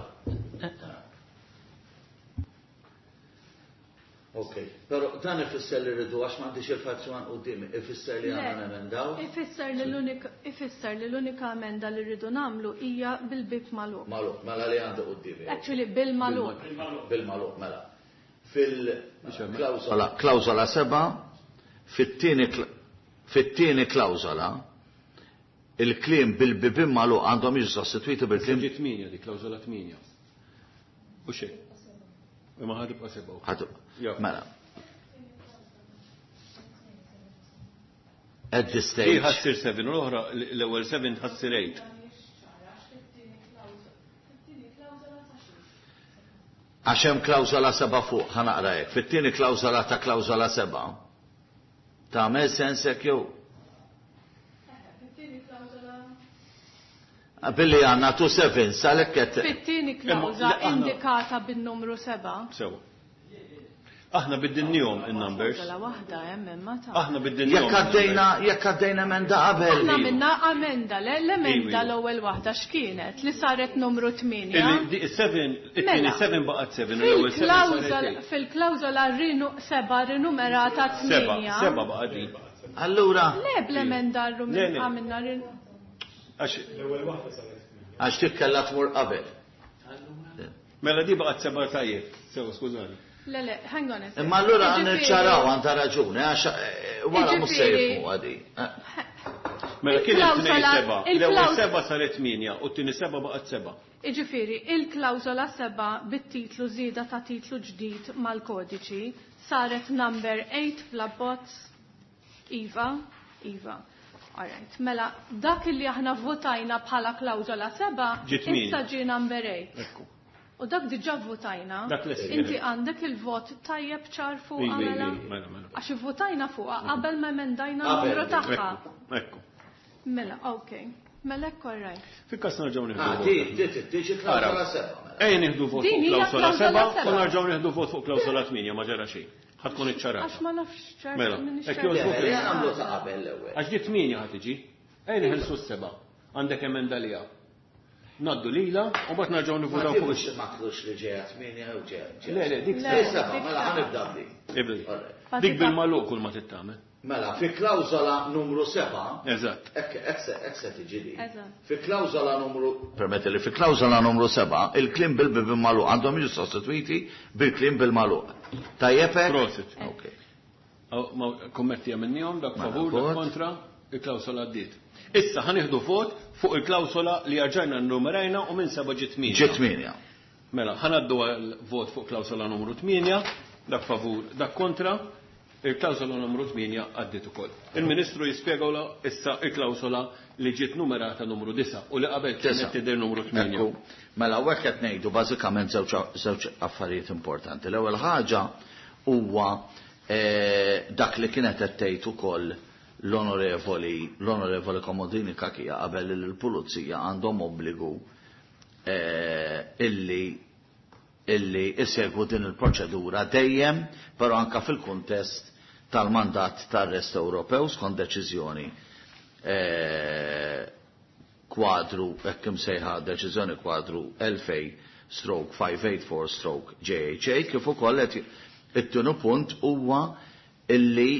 Ok, pero dan ifisser li rridu għax m'għandix il-fazzjon quddiemi, ifisser li għandna nemendaw?
Ifisser li l-unika ifisser li l-unika emenda li rridu nagħmlu hija bil-bib magħluq.
Magħluq, mela li għandu quddiemi.
Actually bil-magħluq.
Bil-magħluq, mela. Fil-klawżola klawżola 7, fit-tieni fit-tieni klawżola, il-kliem bil-bibien magħluq għandhom jiġu sostitwiti bil-kliem.
Ġiet 8 dik klawżola 8. U xejn. Imma ħa tibqa' 7.
Ħa tibqa'. Mela. At this stage.
Hi ħassir 7 u l-oħra l-ewwel 7 ħassir 8.
Għax hemm klawżola 7 fuq, ħa naqra hekk. Fit-tieni klawżola ta' klawżola 7. Tagħmel sens hekk jew? Billi għandna 2 7 għalhekk qed.
Fit-tieni klawżola indikata bin-numru 7.
Sewa. Aħna biddilnihom in-numbers.
Klawżola waħda hemm imma ta'.
Aħna biddilnihom.
Jekk għaddejna jekk għaddejna emenda qabel.
Aħna għamilna amenda, le l-emenda l-ewwel waħda x'kienet li saret numru 8.
Is-7 it-tieni 7 baqgħet 7 u l-ewwel 7 saret 8.
Fil-klawżola 7 rinumerata 8.
7 baqgħet din.
Allura.
Le bl-emenda għamilna
Għax
l-ewwel waħda saret 8.
Għax dik kellha tmur qabel.
Mela di baqgħet 7 tajjeb. Sewa skużani.
Le, le, hang on a second.
Imma allura għandna niċċaraw għandha raġuni, għax wara mhux se jifhmu għadi.
Mela kienet tnejn seba'. L-ewwel seba' saret 8 u t-tieni seba' baqgħet seba'.
Jiġifieri, il-klawżola 7 bit-titlu żieda ta' titlu ġdid mal-kodiċi saret number 8 fl-abbozz? Iva, iva. All right. Mela, dak li aħna votajna bħala klawżola 7 issa ġie number 8.
Ekku.
U dak diġà vvotajna.
Dak lest.
Inti għandek il-vot tajjeb ċar fuqha mela?
Mela, mela.
Għax ivvotajna fuqha qabel ma emendajna n-numru tagħha.
Ekku.
Mela, ok. Mela hekk all right.
Fil-każ nerġgħu nieħdu
Ah,
vot.
di, di tiġi klawsola seba'. Mela.
Ejja nieħdu vot
Din
fuq
hija
klawsola
klawsola
seba' u
seba'.
nerġgħu nieħdu vot fuq klawsola 8 ma ġara xejn. Ħa tkun iċċarata.
Għax ma nafx ċert.
Mela,
m'iniex
hekk
ċerta.
jogħġbok.
Le, le, nagħmlu ta' qabel l-ewwel.
Għax di 8 ħa tiġi. Ejja neħilsu s-seba'. Għandek emenda liha. Ngħaddu lilha u mbagħad nerġgħu nivvutaw
Ma
fuq
tibux ma tlux li ġejja 8 jew ġejja.
Le, le, dik
Le,
seba',
dik
mela
seba'.
ħa nibda b'dik.
Ibda dik.
All right.
Dik bil-magħluq kull ma tittamel.
Mela, fi klawżola numru 7.
Eżatt.
Hekk hekk se hekk se tiġi din.
Eżatt.
Fi klawżola numru Permetti li fi klawżola numru 7 il-kliem bil-bibien magħluq għandhom jiġu sostitwiti bil-kliem bil-magħluq. Tajjeb hekk?
Prosit.
Ok.
Aw, ma kommetti għamilnihom, dak
Mela,
favur, dak
vot.
kontra, il-klawsola għaddiet. Issa ħa nieħdu vot fuq il-klawsola li rġajna nnumerajna u minn seba' ġiet 8.
Ġiet 8.
Mela, ħa ngħaddu għal vot fuq klawsola numru 8, dak favur, dak kontra, il-klawsola numru 8 għaddiet ukoll. Il-Ministru jispjegawla issa il-klawsola li ġiet numerata numru 9 u li qabel kienet tidher numru 8.
Ekku. Mela, hawnhekk qed ngħidu bażikament żewġ affarijiet importanti. L-ewwel ħaġa huwa dak li kienet qed tgħid ukoll l-onorevoli Comodini Cachia qabel li l-pulizija għandhom obbligu illi isegwu din il-proċedura dejjem, però anka fil-kuntest tal-mandat tar-rest Ewropew skont deċiżjoni kwadru, hekk imsejħa deċiżjoni kwadru 2000/584/ JHA, kif ukoll qed it-tieni punt huwa illi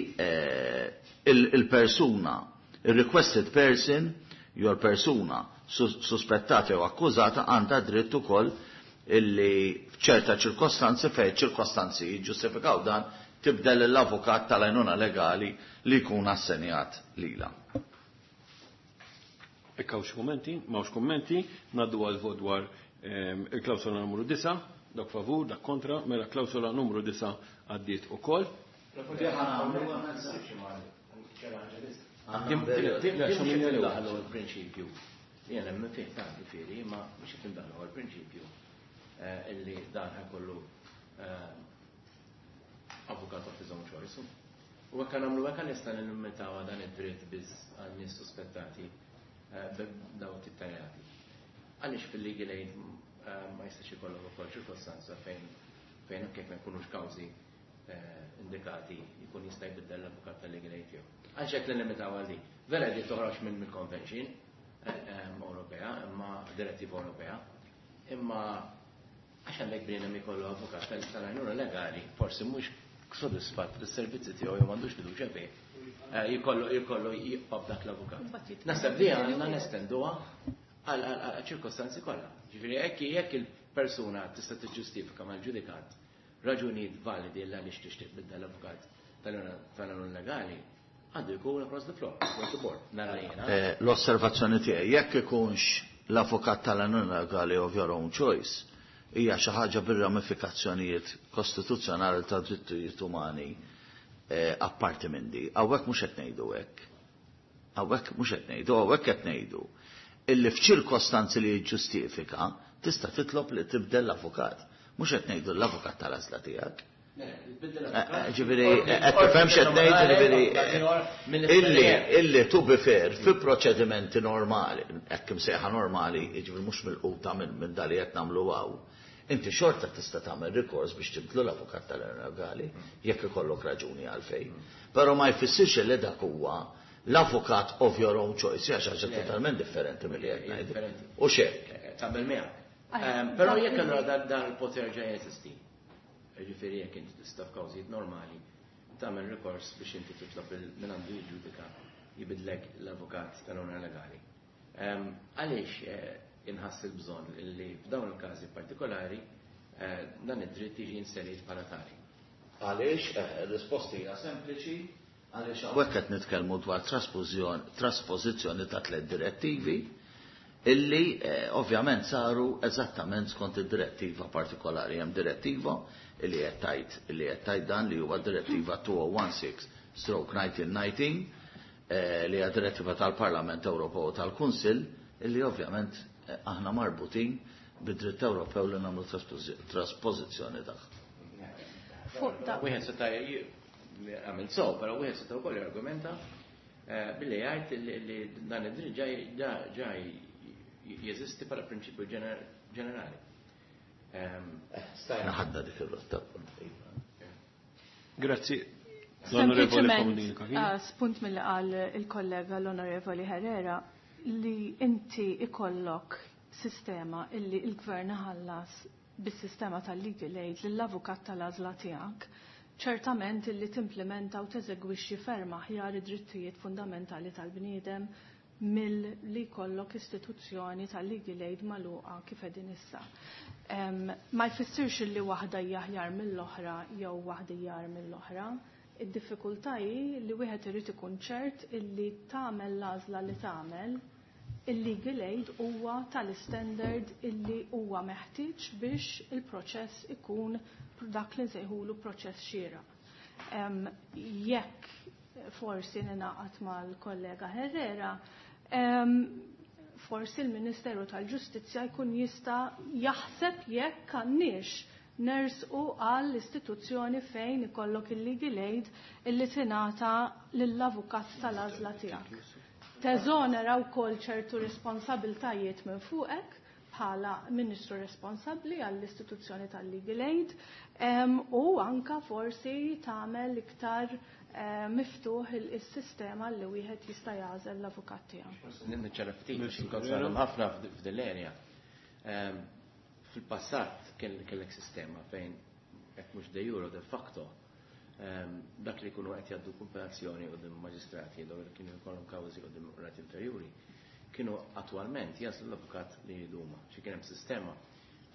il-persuna, il-requested person, jew persuna suspettata jew akkużata għandha dritt ukoll illi f'ċerta ċirkostanzi fejn ċirkostanzi jiġġustifikaw dan tibdel l-avukat tal-għajnuna legali li jkun assenjat lilha.
Hekk hawn xi kummenti, m'hawnx kummenti, ngħaddu għal vot dwar il-klawsola numru 9, dak favur, dak kontra, mela klawsola numru 9 għaddiet ukoll.
Daħlu l-prinċipju. Jien hemm fih ta' ġifieri, ma mhux qed indaħlu l-prinċipju illi dan ħajkollu avukat of his own choice. U hekk nagħmlu hekk nista' nillimitaw dan id-dritt biss għal nies suspettati daw tittajati. Għaliex fil-legal aid ma jistax ikollok ukoll ċirkostanza fejn anke jekk ma jkunux kawżi Indikati jkun jista' jbiddel l-avukat tal-legal aid tiegħu. Għax hekk limitaw għal din. Vera di toħroġ minn mill-Convention Ewropea, imma direttiva Ewropea, imma għax għandek bniedem ikollu avukat tal-għajnuna legali, forsi mhux sodisfatt bis-servizzi tiegħu jew m'għandux fiduċja fih, jkollu jibqa' b'dak l-avukat. Naħseb li għandna nestenduha għal ċirkostanzi kollha. Ġifieri jekk il-persuna tista' tiġġustifika mal-ġudikant raġunijiet validi l għaliex tixtieq tbiddel l-avukat tal-għajnuna legali, għandu jkun across the floor, across the board. Nara jiena.
L-osservazzjoni tiegħi, jekk ikunx l-avukat tal-għajnuna legali of your own choice, hija xi ħaġa bir-ramifikazzjonijiet kostituzzjonali ta' drittijiet umani apparti minn di. Hawnhekk mhux qed ngħidu hekk. Hawnhekk mhux qed ngħidu, hawnhekk qed ngħidu illi f'ċirkostanzi li jiġġustifika tista' titlob li tibdel l-avukat. Mhux qed ngħidu l-avukat tal-għażla tiegħek. Ġifieri, qed tifhem x'qed ngħid, ġifieri, illi to be fair, fi proċedimenti normali, hekk imsejħa normali, ġifieri mhux milquta minn dali qed nagħmlu hawn, inti xorta tista' tagħmel rikors biex tibdlu l-avukat tal-legali jekk ikollok raġuni għalfejn. Però ma jfissirx li dak huwa l-avukat of your own choice, hija xi ħaġa totalment differenti milli qed ngħidu. U x'hekk.
Taqbel miegħek. Però jekk allura dan il-poter ġa jeżisti, ġifieri jekk inti tista' f'kawżijiet normali tagħmel rikors biex inti titlob minn għandu jiġġudika jibidlek l-avukat tal-għajnuna legali. Għaliex inħass il-bżonn li f'dawn il-każi partikolari dan id-dritt jiġi inserit bħala tali?
Għaliex, risposti hija sempliċi, għaliex hawnhekk qed nitkellmu dwar trasposizzjoni ta' tliet direttivi illi ovvjament saru eżattament skont id-direttiva partikolari. Hemm direttiva illi qed tgħid dan li huwa direttiva 2016/1919, li hija direttiva tal-Parlament Ewropew u tal-Kunsill illi ovvjament aħna marbutin bid-dritt Ewropew li nagħmlu trasposizzjoni tagħha.
Fuq da.
Wieħed seta' għamil so, però wieħed seta' wkoll jargumenta billi jgħid li dan id-dritt ġa jeżisti bħala prinċipju ġenerali.
Stajna ħadna dik ir-rotta.
Grazzi. L-Onorevoli
Sempliċement,
Comodini Cachia.
Spunt mill qal il-kollega l-Onorevoli Herrera li inti ikollok sistema illi il-gvern ħallas bis-sistema tal-legal aid lill-avukat tal-għażla tiegħek, ċertament illi timplementa u teżegwixxi ferm aħjar id-drittijiet fundamentali tal-bniedem mill-li jkollok istituzzjoni tal-legal aid magħluqa kif qegħdin issa. Ma jfissirx li waħda hija aħjar mill-oħra jew waħda hija mill-oħra. Id-diffikultà hi li wieħed irid ikun ċert illi tagħmel l-għażla li tagħmel il-legal aid huwa tal-standard illi huwa meħtieġ biex il-proċess ikun dak li nsejħulu proċess xieraq. Jekk forsi ninaqat mal-kollega Herrera, forsi l-Ministeru tal-Ġustizzja jkun jista' jaħseb jekk għandniex nersqu għall istituzzjoni fejn ikollok il-legal aid illi tingħata lill-avukat tal-għażla tiegħek. Teżonera wkoll ċertu responsabiltajiet minn fuqek bħala ministru responsabbli għall-istituzzjoni tal-legal aid u anka forsi tagħmel iktar miftuħ il-sistema li wieħed jista' jagħżel l-avukat tiegħu.
Niċċara ftit, għax inkont sarum ħafna f'dil-area. Fil-passat kellek sistema fejn hekk mhux de jure, de facto dak li jkunu qed jgħaddu kumpilazzjoni quddiem maġistrati jew li kienu jkollhom kawżi quddiem qrati inferjuri, kienu attwalment jaslu l-avukat li jduma. Xi kien hemm sistema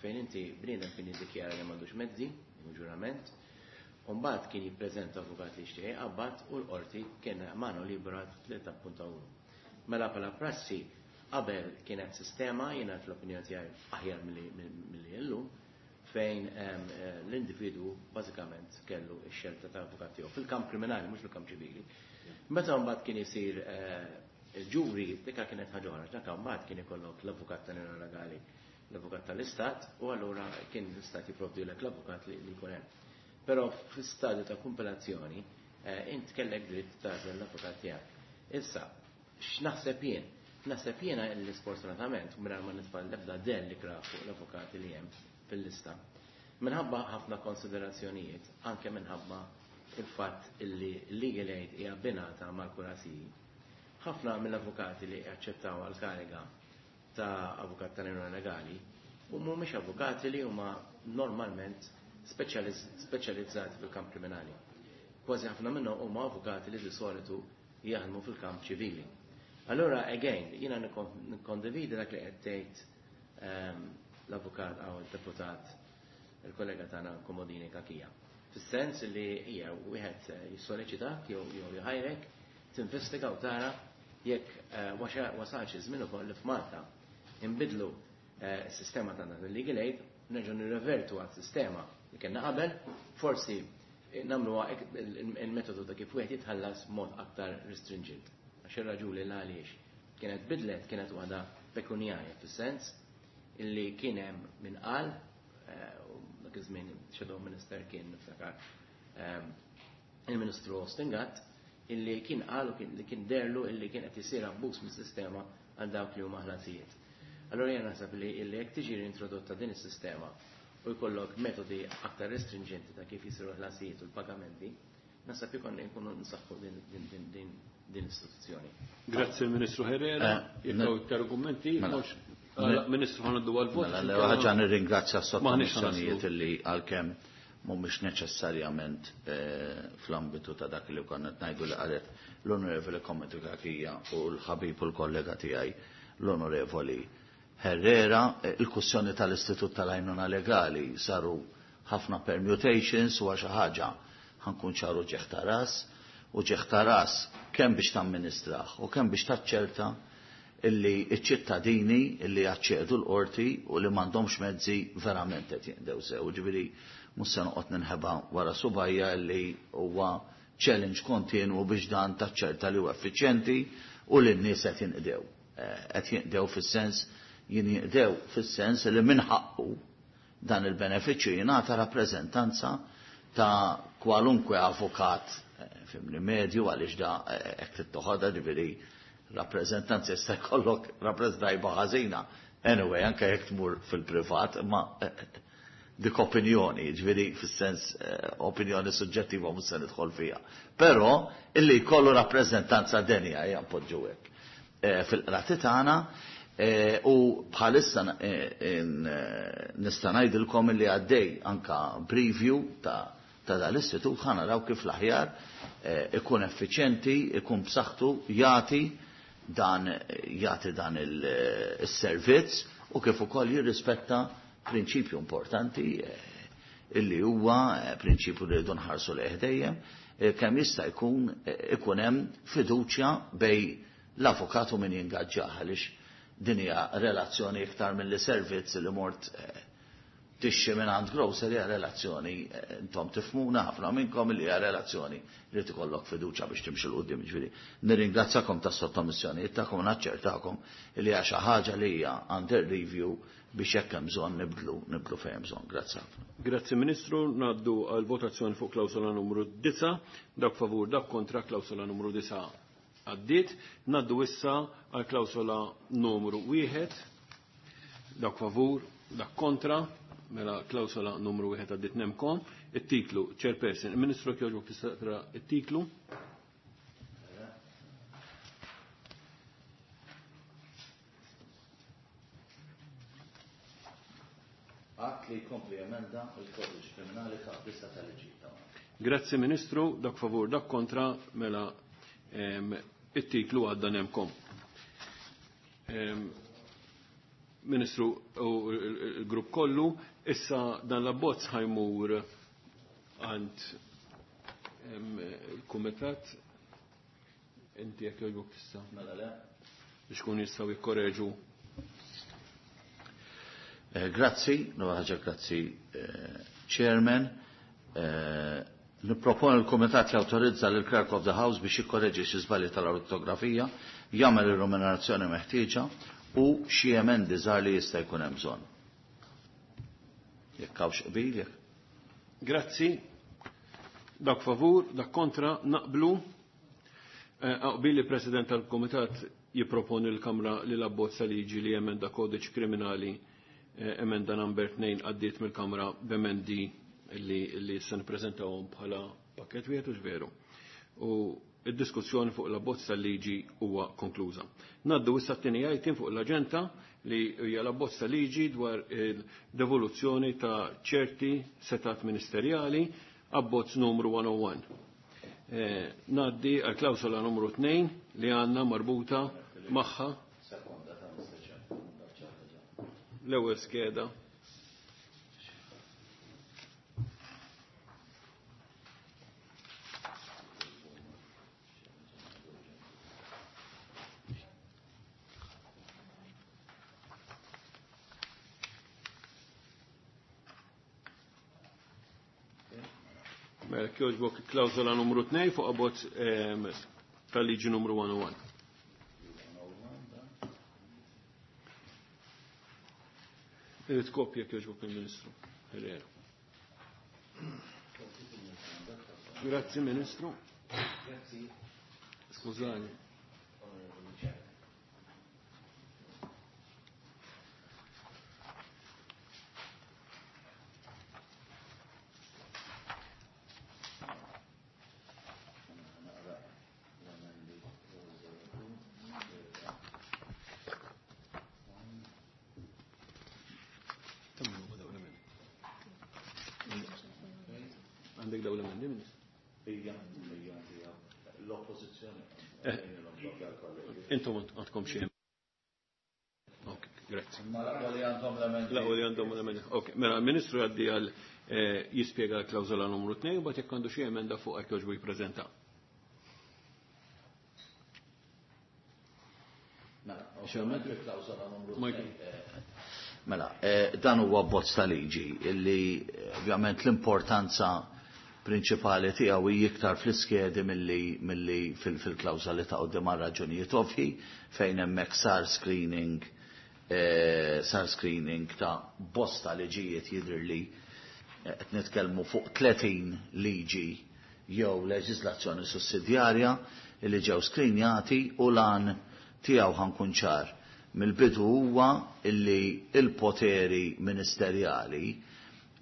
fejn inti bniedem kien jiddikjara li m'għandux mezzi, jew ġurament, u mbagħad kien jippreżenta avukat li jixtieq qabad u l-qorti kien mano libera li tappunta hu. Mela bħala prassi qabel kienet sistema, jiena fl-opinjoni tiegħi aħjar milli llum, fejn l-individu bażikament kellu x-xelta ta' avukat tiegħu fil-kamp kriminali, mhux fil-kamp ċivili. Meta mbagħad kien isir il-ġuri, dikka kienet ħaġa oħra, dak mbagħad kien ikollok l-avukat tal legali, l-avukat tal-istat, u allura kien l-istat jipprovdilek l-avukat li jkun hemm. Però fl-istadju ta' kumpilazzjoni int kellek dritt tagħżel l-avukat tiegħek. Issa, x'naħseb jien? Naħseb jiena li sfortunatament, mingħajr ma nitfa' l-ebda dell li fuq l-avukati li hemm fil-lista. Minħabba ħafna konsiderazzjonijiet, anke minħabba il-fatt illi legal aid hija abbinata mal-kuraziji. Ħafna mill-avukati li aċċettaw għal-kariga ta' avukat tal-għajnuna legali u mhumiex avukati li huma normalment speċjalizzati fil-kamp kriminali. Kważi ħafna minnhom huma avukati li di solitu jaħdmu fil-kamp ċivili. Allora, again, jiena nikkondividi dak li qed tgħid l-avukat għaw il-deputat il-kollega tagħna Komodini Kakija. Fis-sens li hija wieħed jissoleċitak jew jħajrek tinvestiga u tara jekk wasalx iż-żmien ukoll li f'Malta inbidlu s-sistema tagħna tal-legal aid, nerġgħu nirrevertu għas-sistema li kellna qabel, forsi nagħmluha il-metodu ta' kif wieħed jitħallas mod aktar restringent. Għax ir-raġuni l għaliex kienet bidlet kienet waħda pekunjarja fis-sens illi kien hemm min qal u dak iż-żmien shadow minister kien niftakar il-Ministru Austin Gatt illi kien qal u li kien derlu illi kien qed isir abbuż mis-sistema għal dawk li huma ħlasijiet. Allora jien naħseb li illi jekk tiġi introdotta din is-sistema u jkollok metodi aktar restringenti ta' kif jisiru ħlasijiet u l-pagamenti, naħseb ikun nkunu nsaħħu din l-istituzzjoni.
Grazzi il-Ministru Herrera, jekk hawn iktar kummenti, Ministru ħa ngħaddu għal-vot.
Mela, ħaġa nirringrazzja s-sottomissjonijiet illi għalkemm mhumiex neċessarjament fl-ambitu ta' dak li konna ngħidu li qalet l-Onorevoli Komodini Kakija u l-ħabib u l-kollega tiegħi l-Onorevoli Herrera. Il-kwestjoni tal-Istitut tal-Għajnuna Legali saru ħafna permutations u xi ħaġa ħa nkun ċar uġigħ ta' ras u uġigħ ta' ras kemm biex tamministraħ u kemm biex taċċerta illi iċ-ċittadini illi jaċċedu l-qorti u li m'għandhomx mezzi verament qed jinqdew sew. Ġifieri mhux se noqgħod ninħeba wara subgħajja illi huwa challenge kontinwu biex dan taċċerta li huwa effiċjenti u li n-nies qed jinqdew. Qed jinqdew fis-sens jinqdew fis-sens li min ħaqqu dan il-benefiċċju jingħata rappreżentanza ta' kwalunkwe avukat fimni medju għaliex da hekk tittoħodha ġifieri rappreżentanza jista' jkollok rappreżentanza ħażina. Anyway, anke jekk tmur fil-privat, ma dik opinjoni, ġifieri fis-sens opinjoni suġġettiva mhux se nidħol fiha. Però illi jkollu rappreżentanza denja hija npoġġu hekk. Fil-qrati tagħna u bħalissa nista' ngħidilkom illi għaddej anka preview ta' dal-istitut ħa naraw kif l-aħjar ikun effiċjenti, ikun b'saħħtu, jagħti dan il-servizz u kif ukoll jirrispetta prinċipju importanti illi huwa prinċipju li rridu nħarsu lejh dejjem kemm jista' jkun ikun hemm fiduċja bejn l-avukat u min jingaġġah għaliex din hija relazzjoni iktar mill servizz li mort tixtri minn għand grocer hija relazzjoni intom tifhmuna ħafna minnkom li hija relazzjoni li tikollok fiduċja biex timxi 'l quddiem ġifieri. Nirringrazzakom tas-sottomissjonijiet tagħkom u naċċertakom li hija xi ħaġa li hija under review biex jekk hemm bżonn nibdlu nibdlu fejn hemm bżonn. Grazzi ħafna.
Grazzi Ministru, ngħaddu għal votazzjoni fuq klawsola numru 9, dak favur, dak kontra klawsola numru 9 għaddiet. Ngħaddu issa għal klawsola numru 1, dak favur, dak kontra, mela klawsola numru 1 għaddiet nemkom. It-titlu, Chairperson, il-Ministru jogħġbok tista' taqra it-titlu.
Att li jkompli emenda il-kodiċi kriminali ta' lista tal-liġi.
Grazzi Ministru, dak favur, dak kontra, mela it-titlu għadda nemkom. Ministru u il-grupp kollu, issa dan l-abbozz ħa jmur għand il-kumitat, inti jekk jogħġbok tista'
Mela le.
biex kun jistgħu jikkoreġu.
Grazzi, no ħaġa grazzi, Chairman. Niproponi l-Kumitat jawtorizza lil Clerk of the House biex jikkoreġi xi żbalji tal-ortografija, jagħmel ir-remunerazzjoni meħtieġa u xi emendi żgħar li jista' jkun hemm bżonn. Jekk hawnx qbil, jekk.
Grazzi. Dak favur, dak kontra, naqblu. Qbil li President tal-Komitat jipproponi l-Kamra li l-abbozza liġi li jemenda kodiċ kriminali Emenda number 2 għaddiet mill-Kamra b'emendi li se nippreżentawhom bħala pakket wieħed u veru. U id-diskussjoni fuq l-abbozz tal-liġi huwa konkluża. Naddu issa t-tieni item fuq l-aġenda li hija l-abbozz tal-liġi dwar il-devoluzzjoni ta' ċerti setat ministerjali, abbozz numru 101. Naddi għal klawsola numru 2 li għandna marbuta magħha l-ewwel skeda. Mela kjoġbok klawsola numru 2 fuq abbozz tal-liġi numru 101. Irid kopja kjoġbok il-Ministru Herrera. Grazzi Ministru.
Grazzi.
Skużani. Għandek dawn l-emendi, Ministru?
Ija, ija, ija. L-oppożizzjoni.
Intom għandkom xi. Ok, grazzi.
Ma l-aqwa li għandhom l-emendi.
L-aqwa li għandhom l-emendi. Ok, mela l-Ministru jgħaddi għal jispjega l-klawżola numru 2 u bagħad jekk għandu xi emenda fuq hekk jogħġbu jippreżenta.
Mela,
Xi emenda?
il-klawżola numru
Michael.
2. Mela, dan huwa abbozz ta' liġi illi ovvjament l-importanza prinċipali tiegħu hi iktar fl-iskedi milli fil-klawża li ta' quddiem għal raġunijiet ovvji fejn hemmhekk sar screening sar screening ta' bosta liġijiet jidhirli qed nitkellmu fuq 30 liġi jew leġiżlazzjoni sussidjarja li ġew screenjati u lan tiegħu ħankun ċar. Mill-bidu huwa illi il-poteri ministerjali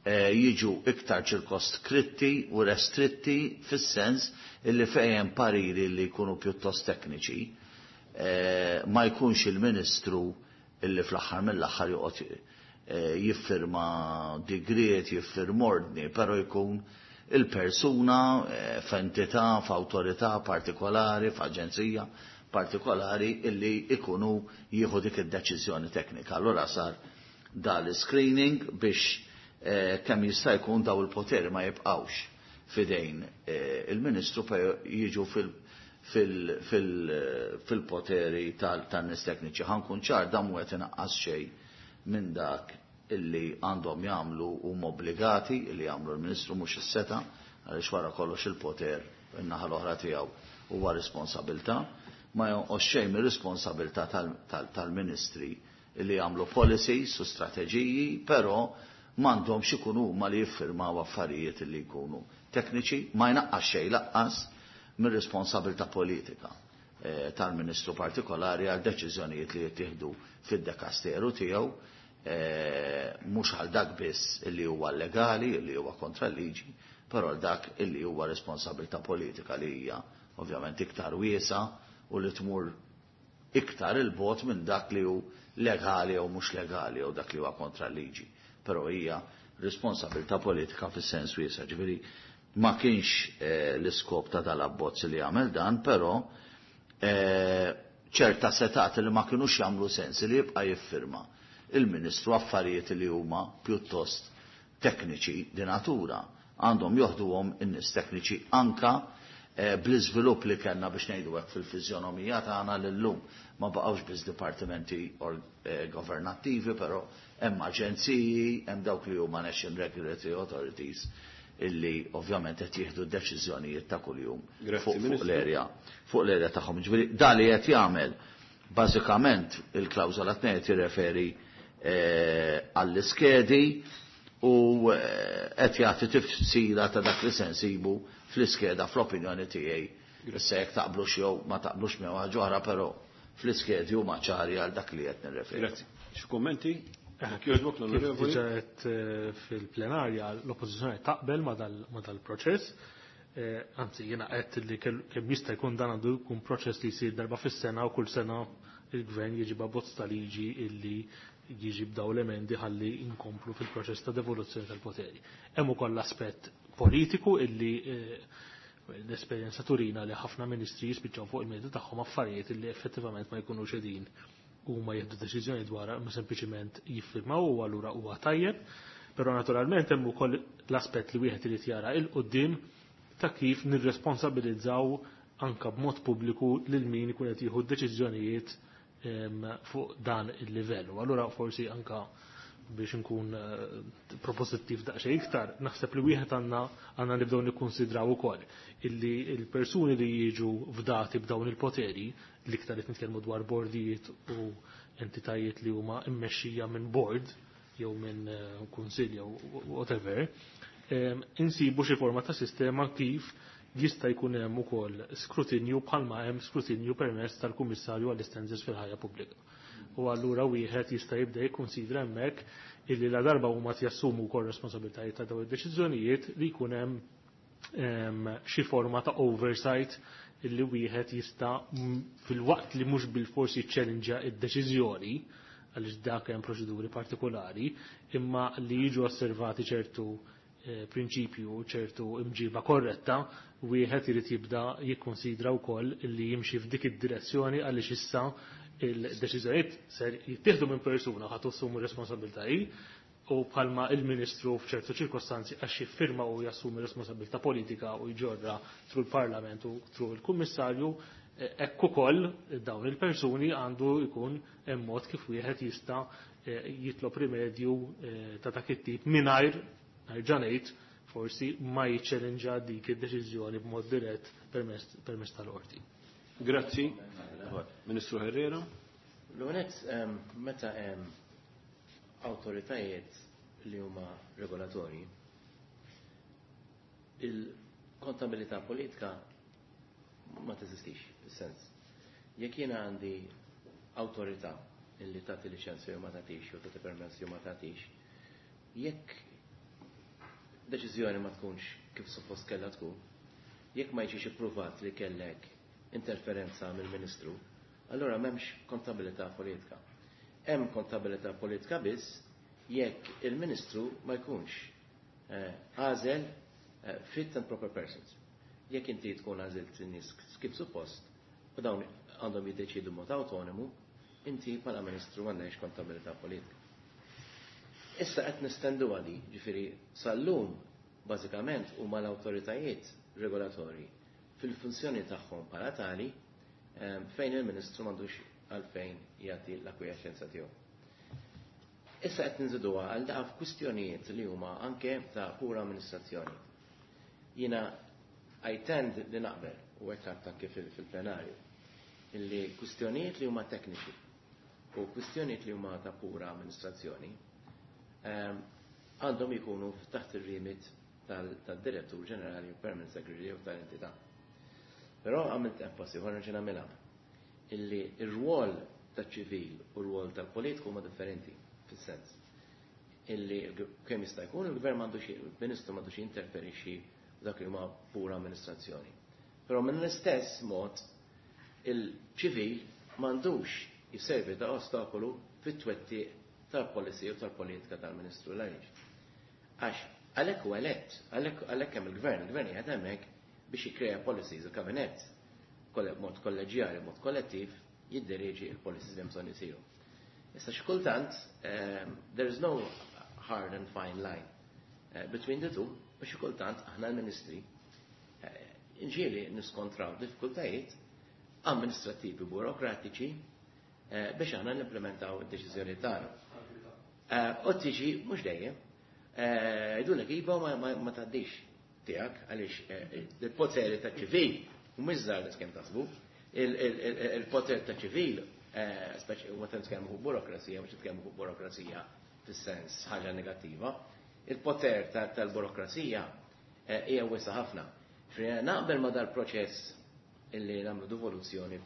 jiġu iktar ċirkoskritti u restritti fis-sens illi fejn pariri li jkunu pjuttost tekniċi ma jkunx il-ministru illi fl-aħħar mill-aħħar joqgħod jiffirma digriet, jiffirma ordni, però jkun il-persuna f'entità, f'awtorità partikolari, f'aġenzija partikolari illi ikunu jieħu dik id-deċiżjoni teknika. Allura sar dal-screening biex kemm jista' jkun daw il-poteri ma jibqgħux fidejn il-Ministru pe jiġu fil-poteri tan-nies tekniċi. Ħankun ċar dan mhu qed inaqqas xejn minn dak illi għandhom jagħmlu huma obbligati illi jagħmlu l-Ministru mhux is-seta' għaliex wara kollox il-poter in-naħa l-oħra tiegħu huwa responsabilità, ma jonqos xejn mir-responsabilità tal-ministri illi jagħmlu policies u strateġiji, però m'għandhomx ikunu huma li jiffirmaw affarijiet illi jkunu tekniċi, ma jnaqqas xejn laqqas mir-responsabilità politika tal-ministru partikolari għal deċiżjonijiet li jittieħdu fid-dekasteru tiegħu, mhux għal dak biss illi huwa legali, illi huwa kontra l-liġi, però għal dak illi huwa responsabilità politika li hija ovvjament iktar wiesa u li tmur iktar il-bot minn dak li hu legali jew mhux legali jew dak li huwa kontra l-liġi. Però hija responsabilità politika fis-sens wiesa. Ġifieri ma kienx l-iskop ta' dal-abbozz li jagħmel dan, però ċerta setat li ma kinux jagħmlu sens li jibqa' jiffirma il-Ministru affarijiet li huma pjuttost tekniċi di natura għandhom joħduhom in-nies tekniċi anka bl-iżvilupp li kellna biex ngħidu hekk fil-fiżjonomija tagħna lillum ma baqgħux biss dipartimenti governattivi, però hemm aġenziji, hemm dawk li huma National Regulatory Authorities illi ovvjament qed jieħdu d-deċiżjonijiet ta' kuljum
Grazzi,
fuq
Ministru.
l-erja, fuq l-erja tagħhom. Ġifieri da li qed jagħmel bażikament il-klawżola tnejn qed jirreferi għall-iskedi u qed jagħti tifsira ta' dak li se nsibu fl-iskeda fl-opinjoni tiegħi. Issa jekk taqblux jew ma taqblux miegħu ħaġa oħra, però fl-iskedi huma ċari għal dak li qed nirreferi.
Grazzi. Xi kummenti? Jogħġbok l-onorevoli.
Kif diġà għedt fil-plenarja l-oppożizzjoni taqbel ma dal-proċess. Anzi, jiena għedt li kemm jista' jkun dan għandu jkun proċess li jsir darba fis-sena u kull sena il-gvern jiġi b'abbozz ta' liġi illi jiġi b'daw l-emendi ħalli inkomplu fil-proċess ta' devoluzzjoni tal-poteri. Hemm ukoll l-aspett politiku illi l-esperjenza turina li ħafna ministri jispiċċaw fuq il-mejda tagħhom affarijiet illi effettivament ma jkunux qegħdin huma jieħdu deċiżjoni dwar ma sempliċiment jiffirmaw u allura huwa tajjeb, però naturalment hemm ukoll l-aspett li wieħed irid jara il quddiem ta' kif nirresponsabilizzaw anka b'mod pubbliku lil min ikun qed jieħu deċiżjonijiet fuq dan il-livell. U allura forsi anka biex nkun proposittiv daqsxejn iktar, naħseb li wieħed għandna nibdew nikkonsidraw ukoll illi l-persuni li jiġu fdati b'dawn il-poteri, l-iktar qed nitkellmu dwar bordijiet u entitajiet li huma mmexxija minn board jew minn kunsill jew whatever, insibu xi forma ta' sistema kif jista' jkun hemm ukoll skrutinju bħalma hemm skrutinju permezz tal-Kummissarju għall-Istenzers fil-ħajja pubblika. U allura wieħed jista' jibda jikkonsidra hemmhekk illi la darba huma jassumu wkoll responsabilitajiet ta' dawn id-deċiżjonijiet li jkun hemm xi forma ta' oversight illi wieħed jista' fil-waqt li mhux bil-forsi jiċċellinġa id-deċiżjoni għaliex dak hemm proċeduri partikolari, imma li jiġu osservati ċertu prinċipju, ċertu imġiba korretta, wieħed irid jibda jikkonsidra wkoll li jimxi f'dik id-direzzjoni għaliex issa il-deċiżjonijiet ser jittieħdu minn persuna ħadd assumu responsabilità hi u bħalma il-Ministru f'ċertu ċirkostanzi għax jiffirma u jassumi responsabilità politika u jġorra through il-Parlament u through il-Kummissarju, hekk ukoll dawn il-persuni għandu jkun hemm mod kif wieħed jista' jitlob rimedju ta' dak it-tip mingħajr nerġa' ngħid forsi ma jiċċellinġa dik id-deċiżjoni b'mod dirett permezz tal-qorti.
Grazzi. Ministru Herrera.
L-għonet, meta hemm awtoritajiet li huma regolatorji, il-kontabilità politika ma teżistix, fis-sens. Jekk jiena għandi awtorità illi tagħti liċenzja jew ma tagħtix, jew tagħti permess jew ma tagħtix, jekk deċiżjoni ma tkunx kif suppost kellha tkun, jekk ma jiġix ippruvat li kellek interferenza mill-Ministru, allura m'hemmx kontabilità politika. Hemm kontabilità politika biss jekk il-Ministru ma jkunx għażel fit and proper persons. Jekk inti tkun għażilt in-nies kif suppost u dawn għandhom jiddeċidu mod autonomu, inti bħala Ministru m'għandekx kontabilità politika. Issa qed nistendu għadi, ġifieri sal-lum bażikament huma l-awtoritajiet regolatorji fil-funzjoni tagħhom bħala tali fejn il-Ministru m'għandux għalfejn jagħti l-akwijaxenza tiegħu. Issa qed ninżiduha għal daqaf kwistjonijiet li huma anke ta' pura amministrazzjoni. Jiena I tend li naqbel u hekk għedt anke fil-plenarju illi kwistjonijiet li huma tekniċi u kwistjonijiet li huma ta' pura amministrazzjoni għandhom ikunu taħt ir-remit tad-direttur ġenerali u permanent secretary jew tal-entità. Però għamilt enfasi, u ħa nagħmilha, illi ir-rwol taċ-ċivil u r-rwol tal-politiku huma differenti fis-sens illi kemm jista' jkun il-gvern m'għandux, il-ministru m'għandux jinterferixxi dak li huma pura amministrazzjoni. Però minn l-istess mod il-ċivil m'għandux jisservi ta' ostakolu fit-twettiq tal-policy u tal-politika tal-Ministru l-għaliex. Għax għalhekk huwa elett, għalhekk hemm il-gvern, il-gvern qiegħed hemmhekk biex jikkrea policies, il-kabinett mod kolleġjali, mod kollettiv, jiddirieġi il-policies li bżonn isiru. Issa xi kultant there is no hard and fine line between the two, u xi kultant aħna l-ministri inġieli niskontraw diffikultajiet amministrativi burokratiċi biex aħna nimplementaw id-deċiżjoni tagħna. U tiġi mhux dejjem, jgħidulek iva ma tgħaddix tiegħek għaliex il-poteri ta' ċivil u mhux żgħar kemm taħsbu, il-poter ta' ċivil, speċi u meta nitkellmu fuq burokrazija, mhux nitkellmu fuq burokrazija fis-sens ħaġa negattiva, il-poter tal-burokrazija hija wiesa ħafna. Naqbel ma dal-proċess illi nagħmlu devoluzzjoni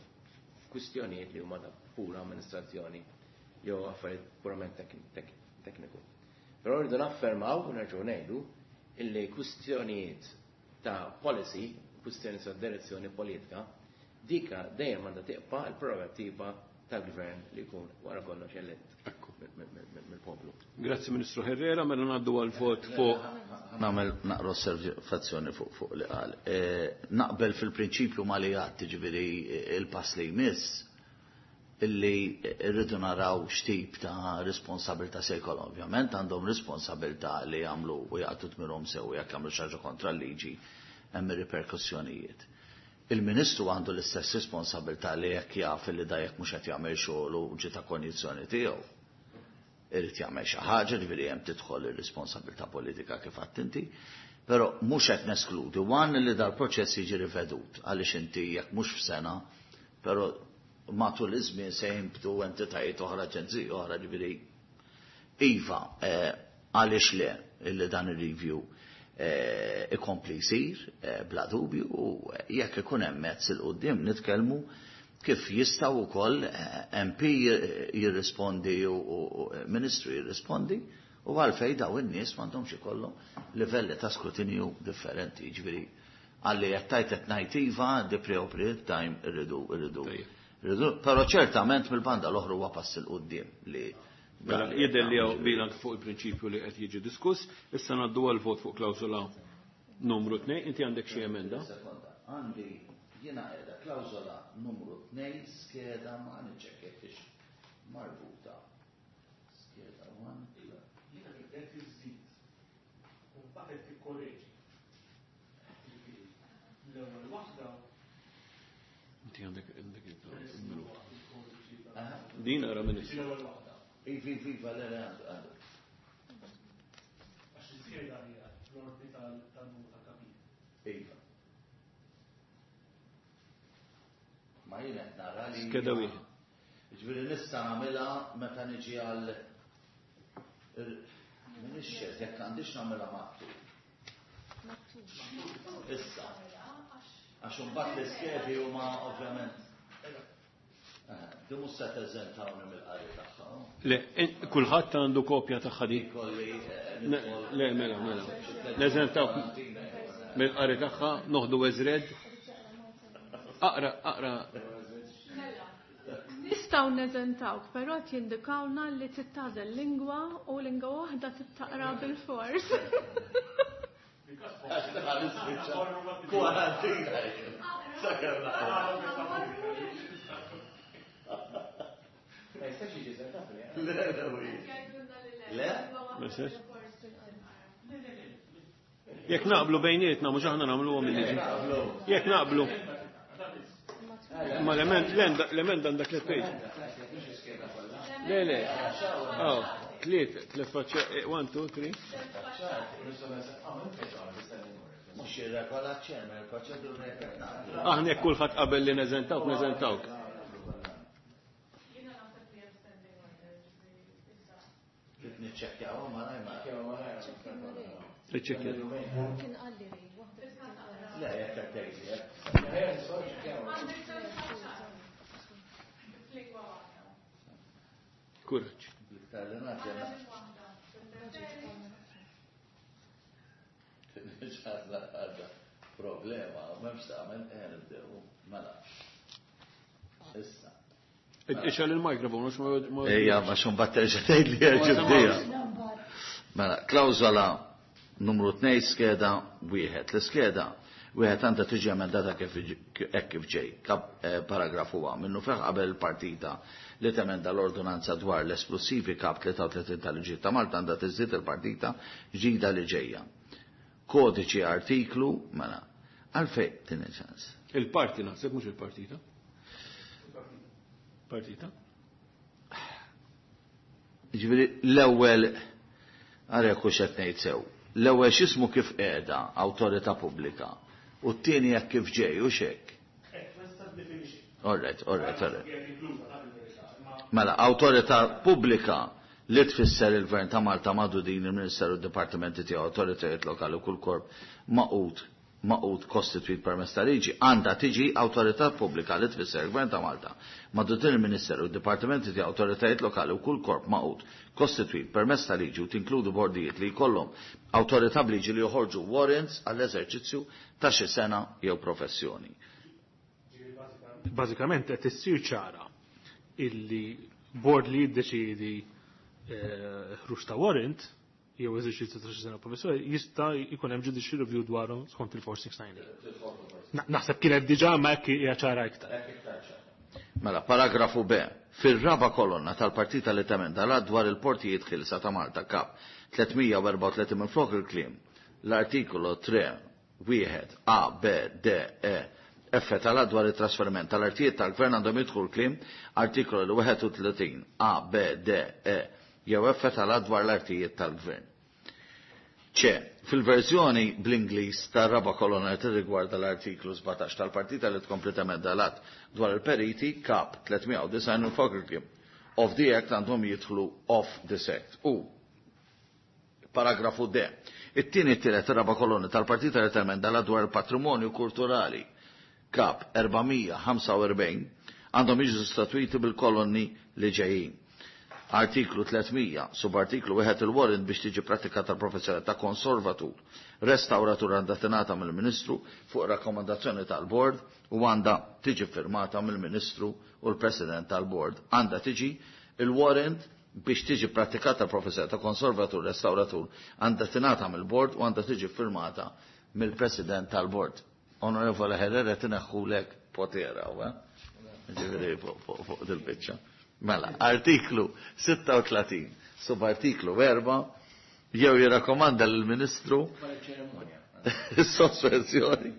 f'kwistjonijiet li huma ta' pura amministrazzjoni jew affarijiet purament tekniku. Però rridu naffermaw u nerġgħu ngħidu illi kwistjonijiet ta' policy, kwistjoni ta' direzzjoni politika, dika dejjem għandha tibqa' l-prerogattiva tal-gvern li jkun wara kollox elett mill-poplu.
Grazzi Ministru Herrera, mela ngħaddu għal vot fuq.
Nagħmel naqra osservazzjoni fuq li qal. Naqbel fil-prinċipju ma li għad, ġifieri il-pass li jmiss illi rridu naraw x'tip ta' responsabilità se jkollhom. Ovvjament għandhom responsabilità li jagħmlu u jaqtu tmirhom sew jekk jagħmlu xi ħaġa kontra l-liġi hemm ir-riperkussjonijiet. Il-Ministru għandu l-istess responsabilità li jekk jaf li da jekk mhux qed jagħmel xogħol u ġiet ta' konjizzjoni tiegħu. Irid jagħmel xi ħaġa, ġifieri hemm tidħol ir-responsabilità politika kif għedt inti, però mhux qed neskludi one li dal-proċess jiġi rivedut għaliex inti jekk mhux f'sena, però matul iż-żmien se jinbtu entitajiet oħra, aġenziji oħra, ġifieri iva, għaliex le illi dan ir-review ikompli jsir bla dubju, u jekk ikun hemm mezz il quddiem nitkellmu kif jistgħu wkoll MP jirrispondi u Ministru jirrispondi u għalfej daw in-nies m'għandhomx ikollhom livelli ta' skrutinju differenti, ġifieri għalli qed tajt qed ngħid iva the appropriate time irridu irridu. Però ċertament mill-banda l-oħra huwa pass il quddiem li
Mela, jidher li hawn qbil anke fuq il-prinċipju li qed jiġi diskuss, issa ngħaddu għal vot fuq klawsola numru 2, inti għandek xi emenda?
Sekonda, għandi jiena qiegħda klawsola numru 2 skeda ma niċċekkjex marbuta. Skeda 1.
Jiena qed iżid. U mbagħad qed tikkoreġi. L-ewwel waħda.
Inti għandek il-minuta. Din ara Ministru.
L-ewwel waħda.
Ivi, ivi, le, le, għandu.
Għax iż-żieda hija l-ordni tal-numru ta' kapitli.
Iva. Ma jien qed nara li
Skeda wieħed.
Ġifieri nista' nagħmilha meta niġi għal M'iniex ċert jekk għandix nagħmilha maktub. Issa. Għax imbagħad l-iskedi huma ovvjament. Di mhux se teżentawni mill-qari tagħha.
Le, kulħadd għandu kopja tagħha di.
Kolli,
Le, mela, mela. Neżentawk mill-qari tagħha, noħdu eżred. Aqra, aqra.
Nistgħu neżentawk, però qed jindikawna li tittażel lingwa u lingwa waħda tittaqra bil-fors.
Kwarantina. Sakemm
Ma jistax jiġi eżentat, le?
Le, le, le. Le?
Jekk naqblu bejnietna, mhux aħna nagħmluhom il-liġi. Jekk naqblu. Ma l-emenda għandek tliet page. Le, le. Oh, tliet, tliet faċċa, 1, 2, 3.
Mhux irregola ċermen, il-proċedura jekk naqblu.
Aħna jekk kulħadd qabel li neżentawk, neżentawk.
Trid niċċekkjaw ma raj ma.
Niċċekkjaw.
Kien qalli li waħda titqara.
Le, jekk qed tgħidli, jekk.
Kuraġġ.
Bliktar li nagħti għandna. Għadha problema, u m'hemmx tagħmel ejja nibdew. Mela. Issa.
Ixgħal il-mikrofon, mhux ma
Ejja, ma xum batterġa tgħid li ġibdija. Mela, klawżola numru 2 skeda wieħed. L-iskeda wieħed għandha tiġi emendata hekk kif ġej. Paragrafu A. Minnu feħ qabel il-partita li temenda l-ordonanza dwar l-esplosivi kap 33 tal-liġi ta' Malta għandha tiżdied il-partita ġdida li ġejja. Kodiċi artiklu, mela, għalfej tini ċans.
Il-parti naħseb mhux il-partita. Partita?
Ġifieri l-ewwel għara jekk hux qed ngħid sew. L-ewwel x'ismu kif qiegħda awtorità pubblika u t-tieni jekk kif ġej u x'hekk. All right, all right, all right. Mela, awtorità pubblika li tfisser il-Gvern ta' Malta madu din il-Ministeru u d-Dipartimenti tiegħu, awtoritajiet lokali u kull korp maqut magħqud kostitwit permezz ta' liġi għandha tiġi awtorità pubblika li tfisser il-Gvern ta' Malta madwar il-Ministeru, id-dipartimenti ta' awtoritajiet lokali u kull korp magħqud kostitwit permezz ta' liġi u tinkludi bordijiet li jkollhom awtorità b'liġi li joħorġu warrants għall-eżerċizzju ta' xi sengħa jew professjoni.
Bażikament qed issir ċara illi bord li jiddeċiedi ħruġ ta' warrant jew eżerċizzju ta' xi sengħa professjoni jista' jkun hemm judicial review dwarhom skont il-4698. Naħseb kienet diġà ma hekk hija ċara iktar.
Mela, paragrafu B. Fir-raba kolonna tal-partita li temenda l dwar il-portijiet ħielsa ta' Malta kap 334 minn flok il-kliem l-artikolu 3 1 A B D E F tal dwar il-trasferiment tal-artijiet tal-gvern għandhom jidħlu l-kliem artikolu 31 A B D E jew F tal dwar l-artijiet tal-gvern. C, fil-verżjoni bl-Ingliż tar-raba kolonna li tirrigwarda l-artiklu 17 tal-partita li tkompli temenda l-att dwar il-periti kap 309 minflok il-kliem of the Act għandhom jidħlu of this Act. U paragrafu D. It-tieni, t-tielet, raba kolonni tal-partita li temenda l dwar il-patrimonju kulturali kap 445 għandhom jiġu sostituiti bil-kolonni li ġejjin. Artiklu 300, subartiklu 1, il-warrant biex tiġi pratikata l-professjoni ta' konservatur, restauratur għandha tingħata mill-Ministru fuq rakkomandazzjoni tal-Bord u għandha tiġi firmata mill-Ministru u l-President tal-Bord. Għandha tiġi il-warrant biex tiġi pratikata l-professjoni ta' konservatur, restauratur għandha tingħata mill-Bord u għandha tiġi firmata mill-President tal-Bord. Onorevole Herrera, tineħħulek potera, eh? Ġifieri fuq dil-biċċa. Mela, artiklu 36, subartiklu 4, jew jirrakkomanda lill-Ministru il-sospensjoni,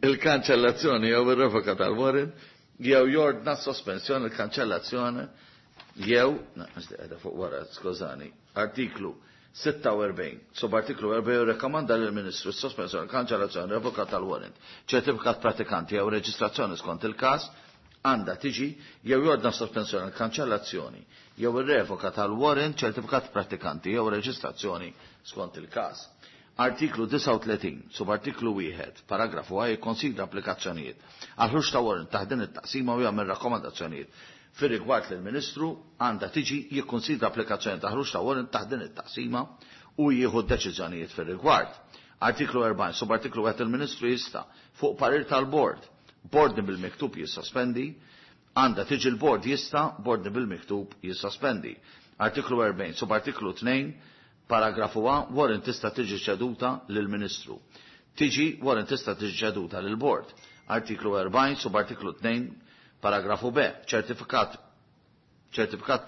il-kanċellazzjoni jew ir-revoka tal-warrant, jew jordna sospensjoni, il-kanċellazzjoni, jew, na, fuq wara, skużani, artiklu 46, subartiklu 4, jirrakkomanda lill-Ministru sospensjoni, kanċellazzjoni, revoka tal-warrant, ċertifikat pratikanti jew reġistrazzjoni skont il-każ, għandha tiġi jew jordna sospensjoni, kanċellazzjoni jew ir-revoka tal-warrant, ċertifikat pratikanti jew reġistrazzjoni skont il-każ. Artiklu 39, subartiklu 1, paragrafu A, jikkonsidra applikazzjonijiet għal ħruġ ta' warrant taħt din it-taqsima u jagħmel rakkomandazzjonijiet fir rigward lill-Ministru, għandha tiġi jikkonsidra applikazzjoni ta' ħruġ ta' warrant taħt din it-taqsima u jieħu deċiżjonijiet fir rigward. Artiklu 40, subartiklu 1, il-Ministru jista' fuq parir tal-Bord, b'ordni bil-miktub jissospendi, għandha tiġi l-bord jista' b'ordni bil-miktub jissospendi. Artiklu 40, subartiklu 2, paragrafu A, warrant tista' tiġi ċeduta lill-Ministru. Tiġi warrant tista' tiġi ċeduta lill-bord. Artiklu 40, subartiklu 2, paragrafu B, ċertifikat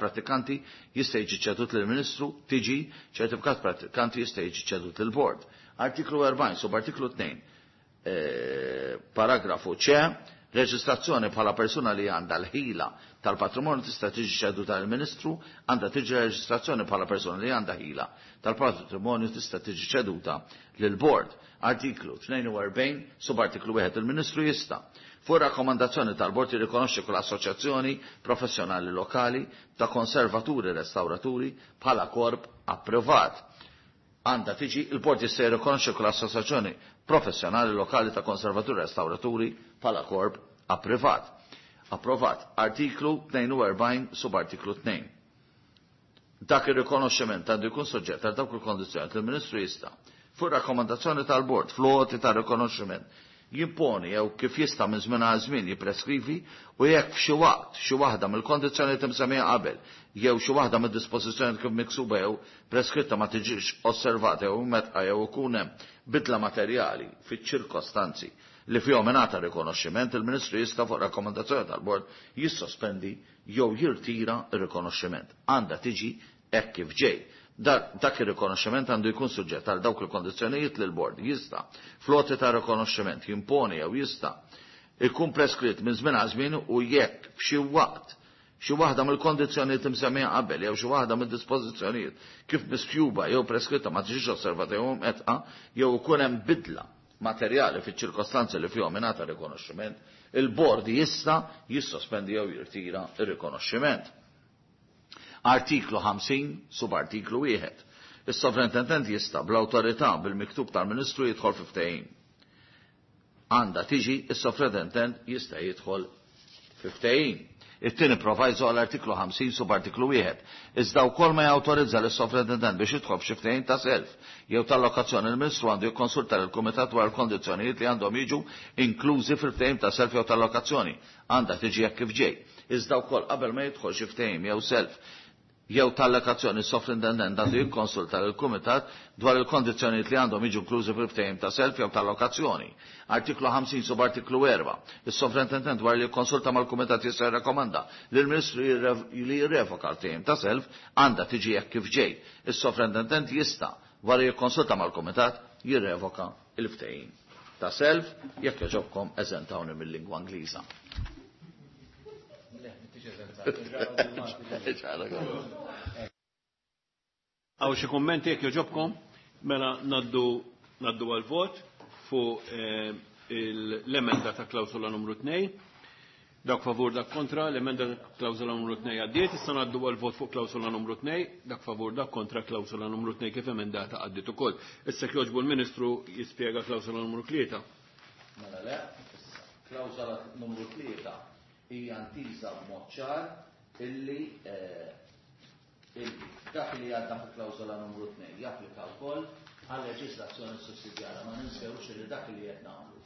pratikanti jista' jiġi ċedut lill-Ministru, tiġi ċertifikat pratikanti jista' jiġi ċedut lill-bord. Artiklu 40, subartiklu 2, paragrafu C, reġistrazzjoni bħala persuna li għandha l-ħila tal-patrimonju tista' tiġi ċeduta lill-Ministru, għandha tiġi reġistrazzjoni bħala persuna li għandha ħila tal-patrimonju tista' tiġi ċeduta lill-bord. Artiklu 42, subartiklu 1, il-Ministru jista' fuq rakkomandazzjoni tal-bord jirrikonoxxi kull assoċjazzjoni professjonali lokali ta' konservaturi restauraturi bħala korp approvat. Għandha tiġi il-bord jista' jirrikonoxxi kull assoċjazzjoni professjonali lokali ta' konservaturi restauraturi bħala korp approvat. Approvat. Artiklu 42, subartiklu 2. Dak ir-rikonoxximent għandu jkun soġġett għal dawk il-kondizzjoni li l-Ministru jista' fuq rakkomandazzjoni tal-bord fl-għoti ta' rikonoxximent jimponi jew kif jista' minn żmien għal żmien jippreskrivi u jekk f'xi waqt xi waħda mill-kondizzjonijiet imsemmija qabel jew xi waħda mid-dispożizzjoni kif miksuba jew preskritta ma tiġix osservata jew metqa jew ikun hemm bidla materjali fiċ-ċirkostanzi li fihom ingħata rikonoxximent, il-Ministru jista' fuq rakkomandazzjoni tal-bord jissospendi jew jirtira r-rikonoxximent. Għandha tiġi hekk kif ġej. Dak ir-rikonoxximent għandu jkun suġġett għal dawk il-kondizzjonijiet li l-bord jista' fl-għoti ta' rikonoxximent jimponi jew jista' ikun preskritt minn żmien għal żmien u jekk f'xi waqt xi waħda mill-kondizzjonijiet imsemmija qabel jew xi waħda mid-dispożizzjonijiet kif misjuba jew preskritta ma tiġix osservata jew mqetqa jew ikun hemm bidla materjali fiċ-ċirkostanzi li fihom ingħata rikonoxximent, il-bord jista' jissospendi jew jirtira r-rikonoxximent. Artiklu 50, subartiklu 1. Is-sovrintendent jista' bl-awtorità bil-miktub tal-Ministru jidħol fi ftehim. Għandha tiġi is-sovrintentent jista' jidħol fi ftehim. It-tieni proviso għall-artiklu 50 subartiklu 1. Iżda wkoll ma jawtorizza lis-sovrintentent biex jidħol f'xi ftehim ta' self jew tal-lokazzjoni il-Ministru għandu jikkonsulta lill-Kumitat dwar il-kondizzjonijiet li għandhom jiġu inklużi fil-ftehim ta' self jew tal-lokazzjoni. Għandha tiġi hekk kif ġej. Iżda wkoll qabel ma jidħol xi ftehim jew self jew tal-lokazzjoni s-sovrintendent għandu jikkonsulta lill-Kumitat dwar il-kondizzjonijiet li għandhom jiġu inklużi fil-ftehim ta' self jew tal-lokazzjoni. Artiklu 50 subartiklu 4. Is-sovrintendent dwar li jikkonsulta mal-Kumitat jista' jirrakkomanda lill-Ministru li jirrevoka l-ftehim ta' self għandha tiġi hekk kif ġej. Is-sovrintendent jista' wara jikkonsulta mal-Kumitat jirrevoka l-ftehim ta' self jekk jogħġobkom eżentawni mill-lingwa Ingliża.
Hawn xi kummenti jekk jogħġobkom? Mela ngħaddu ngħaddu għall-vot fuq l-emenda ta' klawsola numru 2. Dak favur, dak kontra, l-emenda ta' klawsola numru 2 għaddiet, issa ngħaddu għall-vot fuq klawsola numru 2, dak favur, dak kontra, klawsola numru 2 kif emendata għaddiet ukoll. Issa jekk jogħġbu l-Ministru jispjega klawsola numru 3.
Mela le, issa klawsola numru 3 hija ntiża b'mod ċar illi illi dak li għadda fi klawsola numru 2 japplika wkoll għal leġislazzjoni sussidjarja. Ma ninsewx li dak li qed nagħmlu.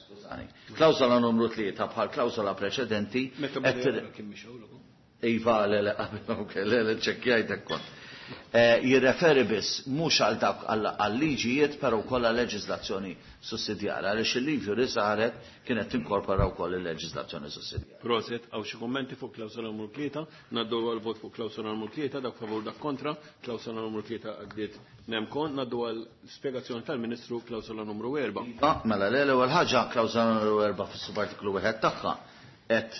Skużani. Klawsola numru 3 bħal klawsola preċedenti.
Meta bdew kien mixgħul ukoll.
Iva, le, le, ok, le, le, ċekkjajtek kont. Jirreferi biss mhux għal dawk għal liġijiet però wkoll għal leġislazzjoni sussidjarja għaliex il-liġi li saret kienet tinkorpora wkoll il-leġislazzjoni sussidjarja.
Proset, hawn xi kummenti fuq klawsola numru 3, ngħaddu għal vot fuq klawsola numru 3, dak favur dak kontra, klawsola numru 3 għaddiet nemkon, ngħaddu għal spjegazzjoni tal-Ministru klawsola numru 4.
Iva, mela le, l-ewwel ħaġa klawsola numru 4 fis-subartiklu wieħed tagħha qed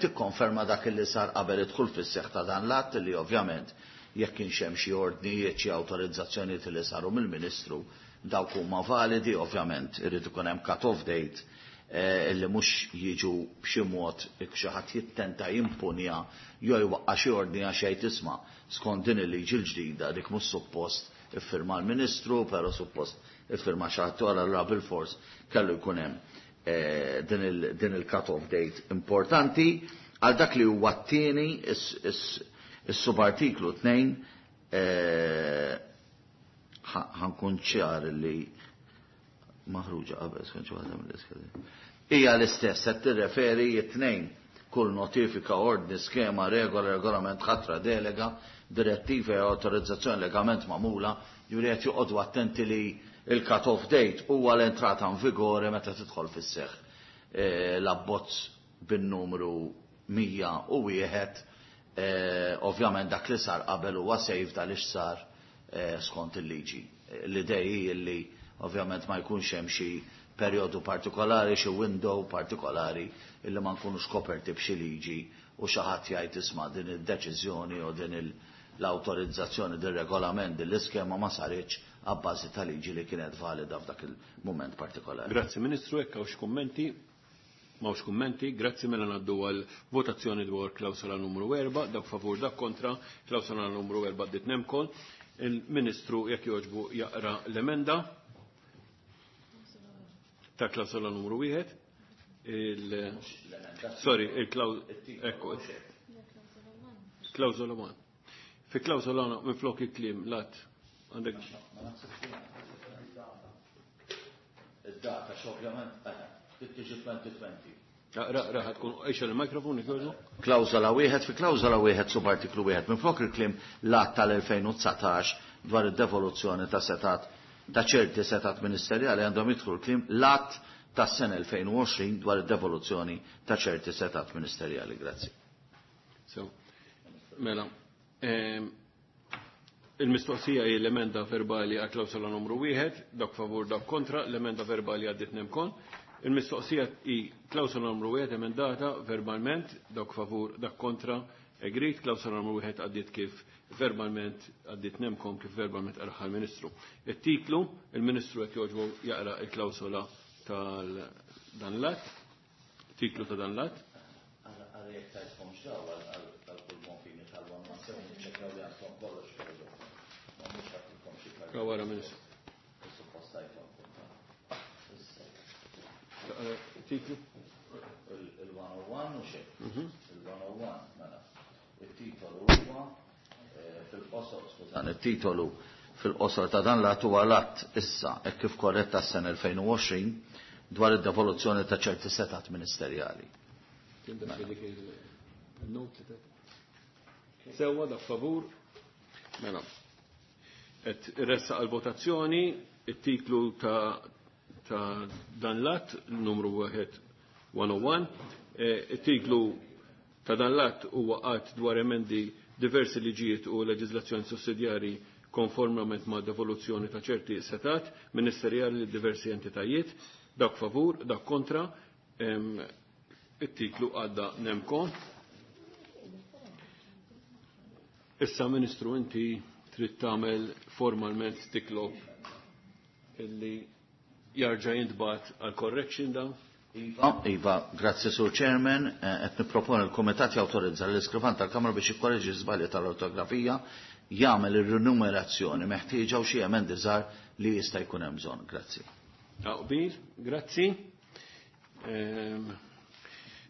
tikkonferma dak li sar qabel idħul fis-seħħ ta' dan l-att li ovvjament jekk kienx hemm xi ordnijiet xi awtorizzazzjonijiet li saru mill-Ministru dawk huma validi, ovvjament irid ikun hemm cut-off date illi mhux jiġu b'xi mod xi ħadd jittenta jimpunja jew jwaqqa' xi ordni għax jgħid isma' skont din il-liġi l-ġdida dik mhux suppost iffirma l-Ministru, però suppost iffirma xi ħadd wara allura bilfors kellu jkun hemm din il-cut-off date importanti. Għal dak li huwa t-tieni is-subartiklu 2 ħankun ċar li maħruġa qabel skont xi waħda mill-iskedi. Hija l-istess qed tirreferi t-tnejn kull notifika, ordni, skema, regola, regolament, ħatra, delega, direttiva jew awtorizzazzjoni legalment magħmula, ġifieri qed joqogħdu attenti li il-cut-off date huwa l-entrata in vigore meta tidħol fis-seħħ l-abbozz bin-numru 101, ovvjament dak li sar qabel huwa safe għaliex sar skont il-liġi. L-idea hi li ovvjament ma jkunx hemm xi perjodu partikolari, xi window partikolari illi ma nkunux koperti b'xi liġi u xi ħadd jgħid isma' din id-deċiżjoni u din l-awtorizzazzjoni, din regolament, din l-iskema ma saritx għabbażi ta' liġi li kienet valida f'dak il-mument partikolari.
Grazzi Ministru, hekk hawn xi kummenti? M'hawnx kummenti, grazzi mela ngħaddu għal votazzjoni dwar klawsola numru 4, dak favur dak kontra, klawsola numru 4 għaddiet nemkol. Il-Ministru jekk jogħġbu jaqra l-emenda ta' klawsola numru 1. Sorry, ekku. Klawsola 1. Fi klawsola 1 minflok il-kliem lat għandek.
Id-data x'ovvjament tiġi 2020.
Ra, ra, tkun ixel il-mikrofon jogħġbu.
Klawsola wieħed fi klawsola wieħed subartiklu wieħed minflok il-kliem l-att tal-2019 dwar id-devoluzzjoni ta' setat ta' ċerti setat ministerjali għandhom jidħlu l-kliem l-att tas-sena 2020 dwar id-devoluzzjoni ta' ċerti setat ministerjali. Grazzi.
So, mela, il-mistoqsija hi l-emenda verbali għal klawsola numru 1, dak favur dak kontra, l-emenda verbali għaddit nemkon. Il-mistoqsija hi klawsola numru 1 emendata verbalment, dak favur dak kontra, agreed, klawsola numru 1 għaddit kif verbalment għaddit nemkom kif verbalment qaraħ il-Ministru. Il-titlu, il-Ministru qed jogħġbu jaqra il-klawsola tal dan l-att, titlu ta' dan l-att.
Għal jekk tajtkom x'daw għal kull konfini tal-117, niċċekkjaw li għandkom kollox kollox. Ma mhux għandkom xi karta.
Wara, Ministru.
Suppost tajthom.
Titlu?
Il-101 u xejn. Il-101, mela. Il-titolu huwa fil-qosor, skużani, il-titolu fil-qosor ta' dan l-att huwa l-att issa hekk kif korretta s-sena 2020 dwar id-devoluzzjoni ta' ċerti setat ministerjali.
Sewwa dak favur. Mela. Qed irressaq għal-votazzjoni it-titlu ta' ta' dan l-att numru 101. It-titlu ta' dan l-att huwa att dwar emendi diversi liġijiet u leġiżlazzjoni sussidjarji konformament ma' devoluzzjoni ta' ċerti setat ministerjali li diversi entitajiet, dak favur, dak kontra, it-titlu għadda nemko. Issa, Ministru, inti trid tagħmel formalment titlob illi jarġa' jintbagħat għal correction dan.
Iva, Iva, grazzi Sur Chairman, qed nipproponi l-Kumitat jawtorizza l-iskrivan tal-Kamra biex jikkoreġi żbalji tal-ortografija, jagħmel ir-rinumerazzjoni meħtieġa u xi emendi żgħar li jista' jkun hemm bżonn. Grazzi.
Aqbil, grazzi.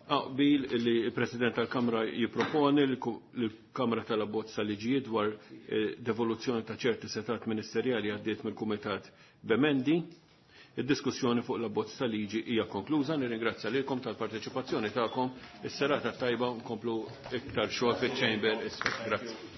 Aqbil li il-President tal-Kamra jipproponi l-Kamra tal-Abbozz tal-Liġijiet dwar devoluzzjoni ta' ċerti setat ministerjali għaddiet mill-Kumitat b'emendi. Id-diskussjoni fuq l-abbozz tal-liġi hija konkluża. Nirringrazzja lilkom tal-parteċipazzjoni tagħkom. Is-serata tajba nkomplu iktar xogħol fiċ-chamber. Grazzi.